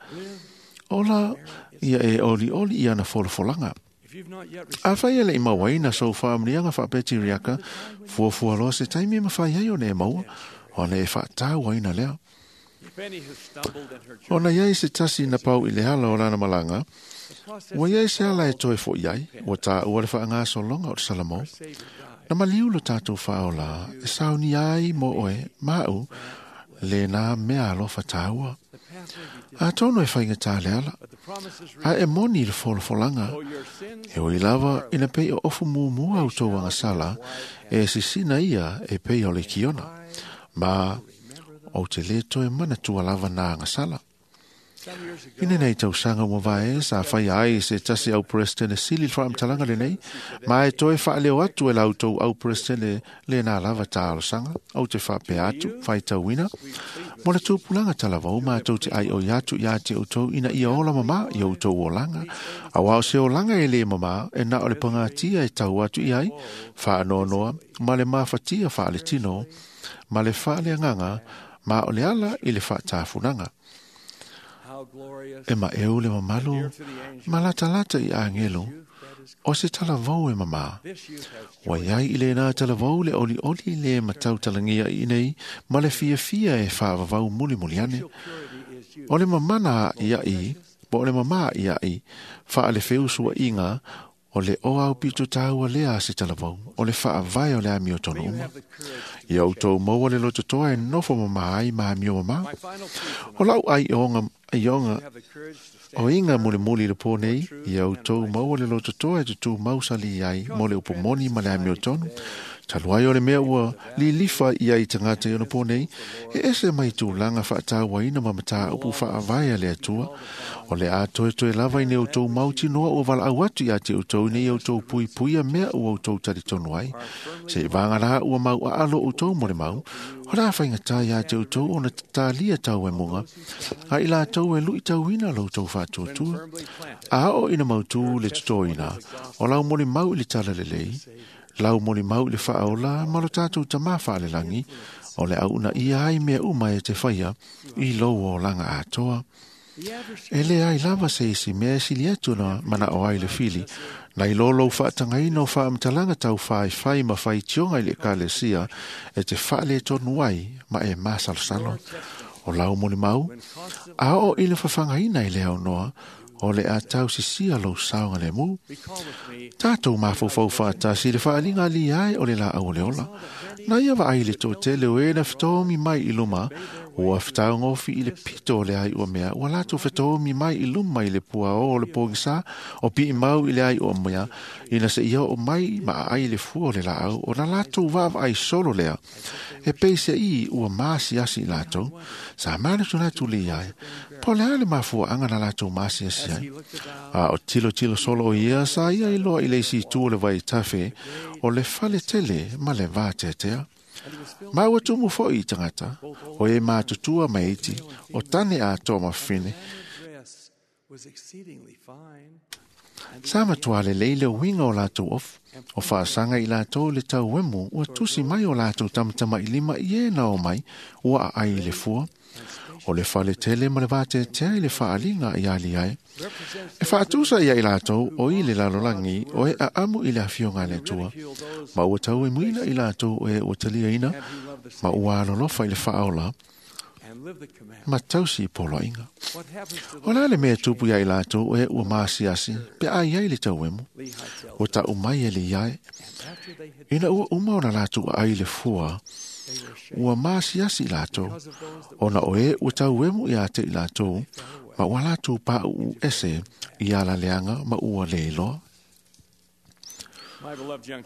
Ola ia e olioli i ana folafolaga. Afai e leʻi mauaina sou faamuniaga faapeteriaka, fuafua loa se taimi e mafai ai ona e maua, ona e faatauaina lea. Ona iai se tasi na pau i le ala o lana malaga, ua iai se ala e toe foʻi ai, ua taua le faagasologa o le Salamo. Na maliu lo tatou faaola, e saunia ai mo oe, maʻu, lena mea alofa tāua. Atonu e faigatā le ala, a e moni i le folafolaga, e oi lava ina pei o ofu mumua outou agasala, e sisina ia e pei o le kiona. Ma o te lē toe manatua lava na agasala. Ina nei tausaga ua vae sa faia ai se tasi au presidente sili le faamatalaga lenei, ma e toe faaleo atu e la outou au presidente lena lava talosaga, ou te faapea atu, faitauina, mo le tupulaga talavou matou te aioi atu iā te outou ina ia ola mamā i outou olaga. Auā o se olaga e lē mamā, e na o le pagatia e tau atu i ai, faanoanoa, ma le mafatia faaletino, ma le faaleagaga, ma o le ala i le faatafunaga. E maʻeu le mamalu, ma latalata i agelo, o se talavou e mamā. Ua iai i lena talavou le olioli le matautalagia i nei, ma le fiafia e faavavau mulimuli ane. O le mamana iaʻi, po o le mamā iaʻi, faalefeusuaʻiga, o le oa au pito tāua lea a se talavou, o le faavae o le amio tonu uma. Ia outou maua le lototoa e nofo mamā ai ma amio mamā. O lau ai onga, ai onga, o inga mulimuli le pō nei, ia outou maua le lototoa e tutū mausali ai mo le upomoni ma le amio tonu. Talu ai o le mea ua lilifa ia i tagata i ona pō nei, e ese mai tulaga faatauaina ma mataupu faavae a le Atua. O le a toetoe lava ina outou mautinoa ua valaau atu iā te outou ina ia outou puipuia mea ua outou talitonu ai. Se i vagalā ua mau aalo outou mo le mau, o le a faigatā iā te outou ona tatalia tau e muga, a i latou e luitauina lo outou faatuatua. A oo ina mautū le totoina, o lau molimau i le tala lelei, Lau moli mau i le whaola ma lo tātou tamā whaalelangi o le au na ia ai mea uma e te whaia i lou o langa atoa. E le ai lava se isi mea sili atu na mana o ai le fili. Na i lolo whaatangaina o whaamtalanga tau whai whai ma whai tionga i le kalesia e te whaale tonu ai ma e masalosalo. O lau moli mau, a o i le whawhangaina i le au noa, o le a tau sisia lou saonga le mu. Tātou mawhauwhau whaatasi le whaalinga li ai o le la au le ola. Na ia wa ai le tō tele o e na whitoomi mai i luma, ua whitaungofi i le pito o le ai ua mea, ua lātou whitoomi mai i luma i le pua o le pōgisa, o pi mau i le ai ua mea, ina se ia o mai ma ai le fua o le laau, o na lātou wawa ai solo lea. E peise i ua maasi asi i lātou, sa mana tu lātou le iai, po le ale mafua anga na lātou maasi asi ai. A o tilo tilo solo o ia, sa ia i loa i le isi tu o le vai tafe, o le fale tele ma le vātetea. Ma ua tumu foi i tangata, o e mātutua meiti, o tane a tō mawhine. Sa matua le leile winga o lātou ofu, o whaasanga i lātou le tau wemu, ua tusi mai o lātou tamatama i lima i e nao mai, ua a ai le fua. O le fale tele ma le vātetea i le whaalinga i ali ai. E whaatusa ia i lātou o i le lalolangi o e aamu i le awhionga le tua. Ma ua tau e muina i lātou o e ua talia ina, ma ua alolofa i le whaaola, ma tausi i poloinga. O la le mea tupu ia i lātou o e ua maasiasi, pe ai ai le tauemu, o ta umai e le iai. Ina ua uma o na lātou ai le fua, ua maasiasi i lātou, ona o e ua tauemu i a te i lātou, ma ua lātou pā uu ese i ala leanga ma ua leiloa.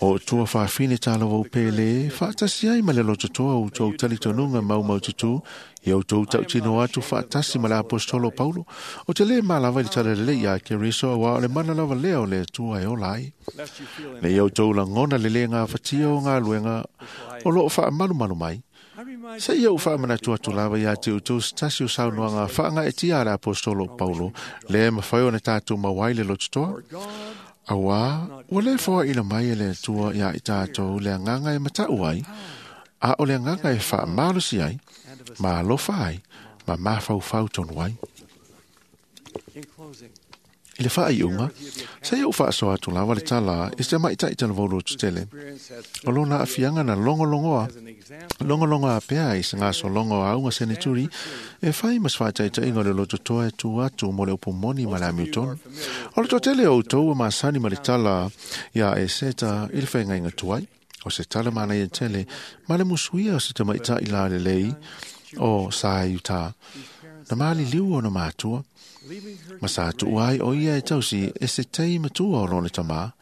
O tua whawhine tālawa upele, whaatasi ai ma le lototoa u tau talitonunga mau mau tutu, i au tau tau tino atu whaatasi ma le apostolo Paulo, o te le malawa i le talalele ia ke riso wa o le mana lava lea o le tua e ola ai. Le i au tau langona le le ngā whatia o ngā luenga o loo wha malu malu mai. Se ia u whaamana atu lava ia te utou stasi o saunoanga whaanga e tia le apostolo Paulo, le mawhai o na tātou mawai le lototoa. Awa, ua le foa ina mai e le atua ia i tātou le anganga e matau ai, a o le anganga e wha malusi ai, ma alofa ai, ma mawhauwhau tonu ai. I le wha iunga, se ia u whaasoa atu lava le tala e se mai tai tala volo tutele. O lona awhianga na longolongoa, longolongoa pea i se ngaso longo a unga seneturi, e whai mas whaitaita inga le lototoa e tu atu mo le upu moni ma le amiuton. O le totele o tau masani ma le tala ia e seta i le whainga inga tuai, o se tala mana i tele, ma le musuia o se tamaita i la le lei o sa i uta. Na maali liu o na mātua, ma sa tuai o ia e tausi e se tei matua o lona tamā,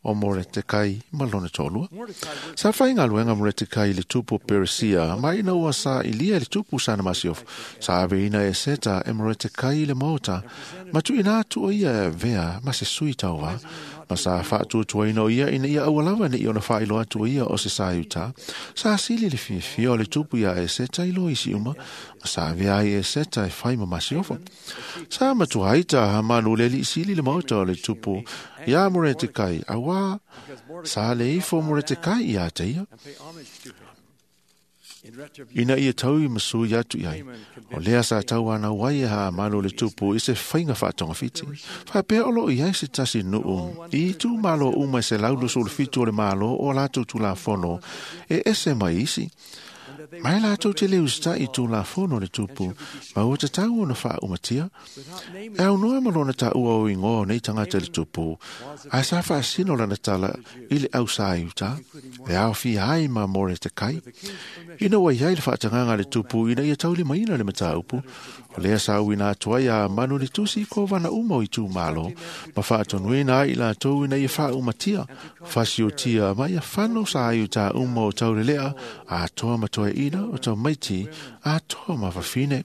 o more te kai ma lona tōlua. Sa whainga luenga more te kai le tupu Perisia, ma ina ua sa ilia le tupu sana masiof, sa ave ina e seta e more te kai le mota, ma tu ina atu o ia e vea ma se sui tauva, ma sa whaatuatua ina o ia ina ia awalawa ni i ona whailo atu o ia o se sa iuta, sa asili le fiafia o le tupu ia e seta i lo isi uma, ma sa avea ai e seta e whai ma masiofo. Sa matua aita hamanu le li isili le mauta o le tupu, ia more te kai, awa sa le ifo more te kai ia te ia. Ina ia tau i masu i atu iai, o lea sa tau ana wai e haa malo le tupu i se whainga whaatonga whiti. Whapea olo i ai se tasi nuu, i tū malo uma se laulo so le fitu o le malo o lātou tū la fono, e ese mai isi. Mai lātou te leu sta i tū la fono le tupu, ma ua te tau ona wha umatia. E au noa malona ta ua o ingoa nei tangata le tupu, a sa whaasino lana tala i le au sa i uta, e au fi ai ma more te kai. Ina wai ai le whaatanganga le tupu, ina ia tauli maina le mataupu, o lea sa uina atua ia manu le tusi ko wana uma i tū malo, ma whaatonuina ai la tau ina ia wha umatia, whasiotia ma ia whano sa ai uta uma o taurelea, a toa matoe toeaina, o tamaiti, atoa ma fafine.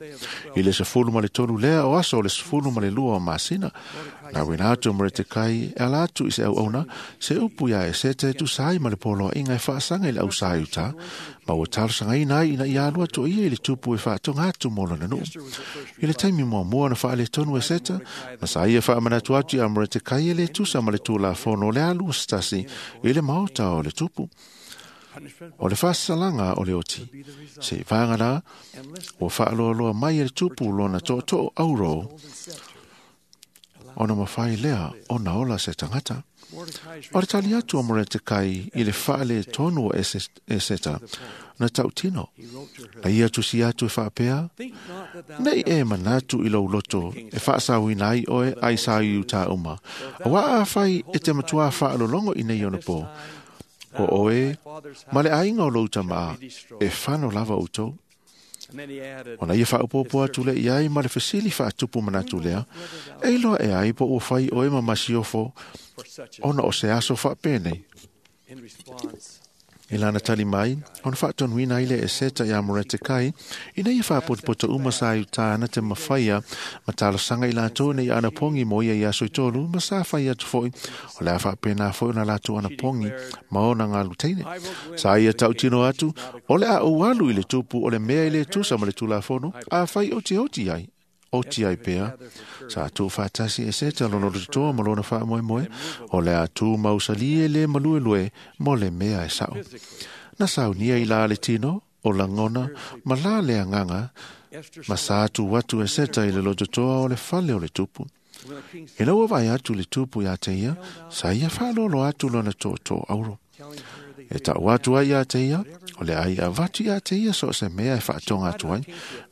I le sefulu ma le tolu lea o aso o le sefulu ma le lua o masina. Na uina atu o Moretekai e ala atu i se auauna, se upu ia Eseta e tusa ai ma le poloaiga e faasaga i le ausā i uta, ma ua talosagaina ai ina ia alu atu o ia i le tupu e faatoga atu mo lona nuu. I le taimi muamua na faaletonu Eseta, ma sa ia faamanatu atu ia Moretekai e le tusa ma le tulafono o le alu o se tasi i le maota o le tupu. O le faasalaga o le oti, se i vaga la, ua faaloaloa mai e le tupu lona tootoo auro, ona mafai lea ona ola se tagata. O le tali atu o Moretekai i le faaletonu o Eseta na tautino. Na ia tusi atu e faapea, nei e manatu i lou loto e faasauina ai oe ai sa i uta uma. Auā afai e te matua faalologo i nei ona pō, o oe ma le aiga o lou tamā e fano lava outou. Ona ia faaopoopo atu le iai ma le fesili faatupu manatu lea, e iloa e ai po ua fai oe ma masiofo ona o se aso faapenei. I lana tali mai, ona faatonuina ai le Eseta iā Moretekai, ina ia faapotopoto uma sa i uta ana te mafaia ma talosaga i latou ina ia anapogi mo ia i aso e tolu, ma sa fai atu foi, o le a faapena foi ona latou anapogi ma ona galuteine. Sa ia tautino atu, o le a ou alu i le tupu o le mea i le tusa ma le tulafono, a fai otioti ai. Oti ai pea, sa tuufaatasi Eseta lona lototoa ma lona faamoemoe, o le a tu mausalie le maluelue mo le mea e sao. Na saunia i la le tino, o lagona, ma la le agaga, ma sa tu atu Eseta i le lototoa o le fale o le tupu. Ina ua vaai atu le tupu ia te ia, sa ia faalolo atu lona tootoo auro. E tau atu ai ia te ia, o le ai avatu ia te ia so o se mea e faatoga atu ai.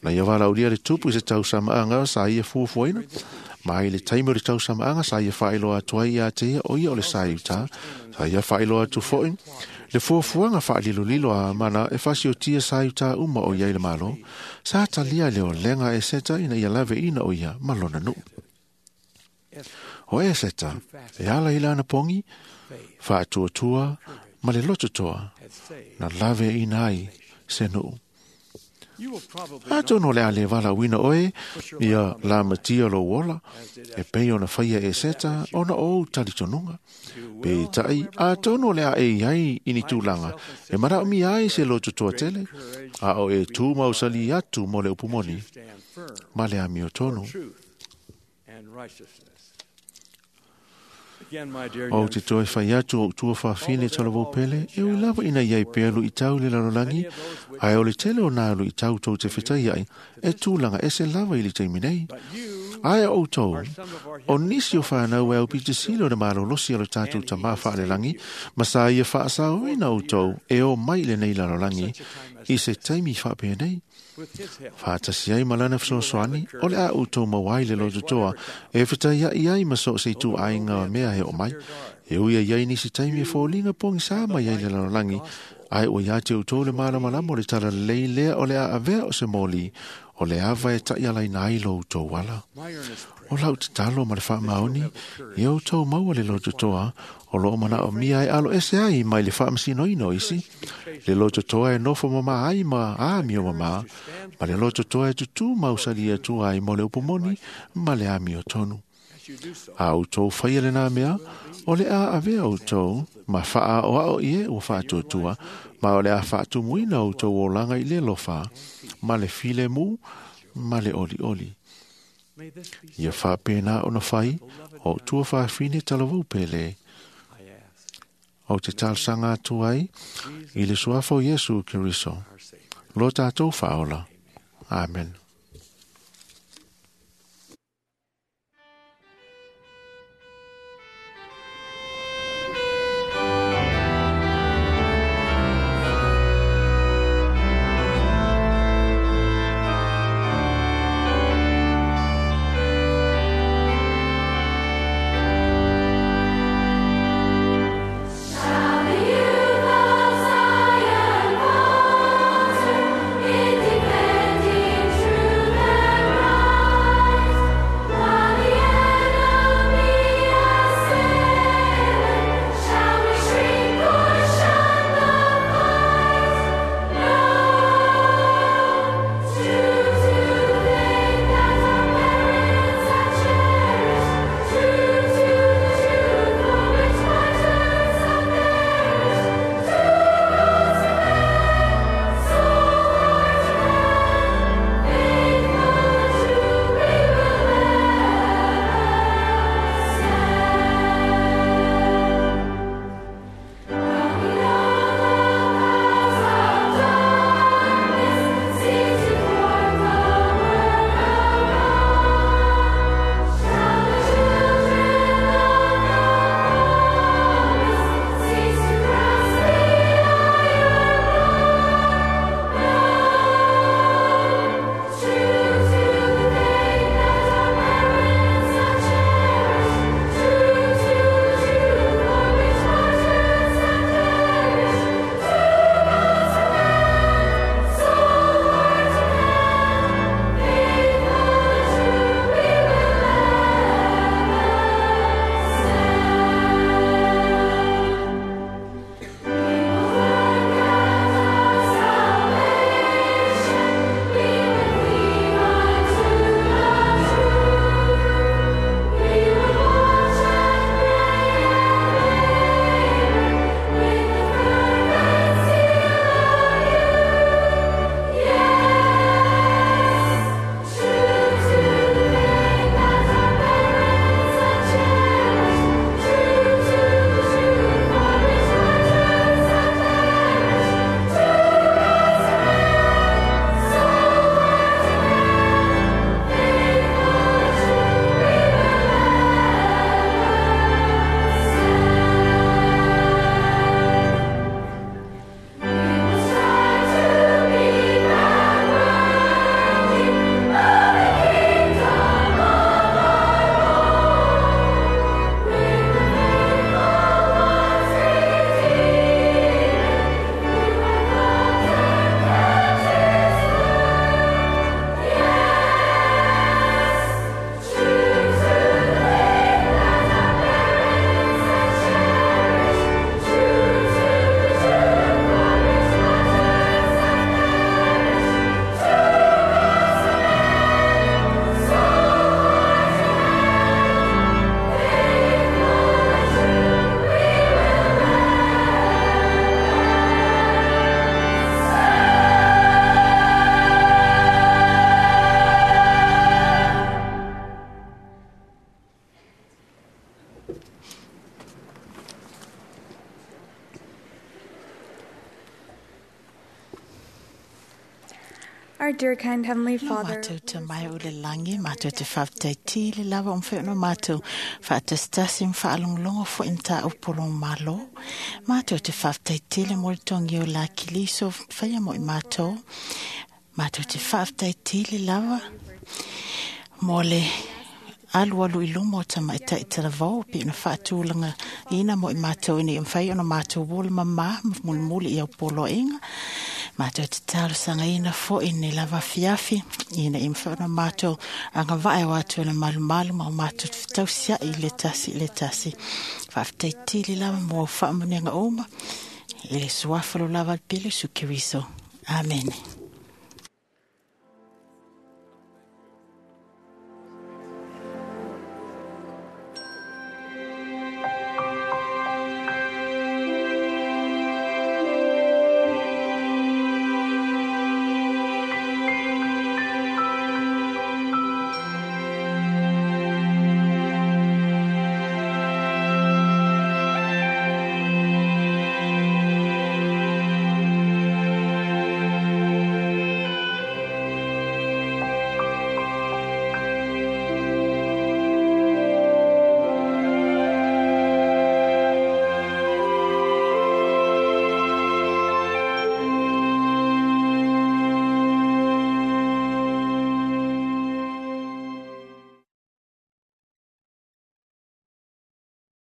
Na ia valaulia le tupu i se tausamaaga sa ia fuafuaina. Ma i le taimi o le tausamaaga sa ia faailoa atu ai ia te ia o ia o le sa i uta. Sa ia faailoa atu foi le fuafuaga faalilolilo a Amana e fasiotia sa i uta uma o ia i le Malo. Sa talia le olega Eseta ina ia laveina o ia ma lona nuu. O Eseta, e ala i lana pogi, faatuatua ma le lototoa, na laveina ai se nuu. Atonu o le a le valaauina oe ia lamatia lou ola, e pei ona faia Eseta ona o ou talitonuga. Peitai, atonu o le a e iai i ni tulaga, e manaomia ai se lototoa tele, a o e tu mausali atu mo le upu moni, ma le amiotonu. O te toe fai atu o tua fafine talavou pele, e ui lava ina iai pea luitau le lalolagi, ae o le tele o nā luitau tou te fetai ai, e tulaga ese lava i le taimi nei. Ae o outou, o nisi o whanau e au pitisilo na malolosi o le tātou tamā whaalelagi, ma sa ia whaasaoina outou e o mai le nei lalolagi, i se taimi whaapenei. Whaatasi ai malana fesoasoani, o le a outou mauai le lototoa, e fetai ai ai ma so se tu ainga o mea he o mai. E ui ai ai nisi taimi e fōlinga pongi sa mai ai le lalolagi, ai o ia te outou le malamalama o le tala lei lea o le a avea o se moli, o le ava e ta'ialaina ai lo outou ala. O lau tatalo ma le faamaoni, ia outou maua le lototoa, o loo manaomia e alo ese ai mai le faamasinoina o isi, le lototoa e nofo mamā ai ma amio mamā, ma le lototoa e tutū mausali atua ai mo le upu moni ma le amiotonu. A outou faia lenā mea, o le a avea outou, ma faaoao i e ua faatuatua, ma o le a faatumuina outou olaga i le lofa, ma le filemu, ma le olioli. Ia faapena ona fai, o tua fafine talavou pele. O te talosaga atu ai, i le suafa o Iesu Keriso, lo tātou faaola. Amen. Shall the youth of Zion falter in defending truth? Our dear kind Heavenly Father, Mātou te mai o le langi, mātou te whāptai le lava o mwheo mātou whaatasitasi mwhaalonglongo fo inta o polong malo. Mātou te whāptai tile mo le tongi o la kiliso whaia mo i mātou. Mātou te whāptai tile lava mo le alu alu i luma o tamaitai talavou pe ona faatulaga ina mo i matou ina ia mafai ona matou ola mamā ma mulimuli i au poloaiga. Matou te talosagaina fo'i nei lava afiafi ina ia mafai ona matou agavae o atu e le malumalu ma o matou tausia'i i le tasi i le tasi. Faafetaitili lava mo au faamuniaga uma i le suafa lo lava le pele Iesu Keriso. Amene.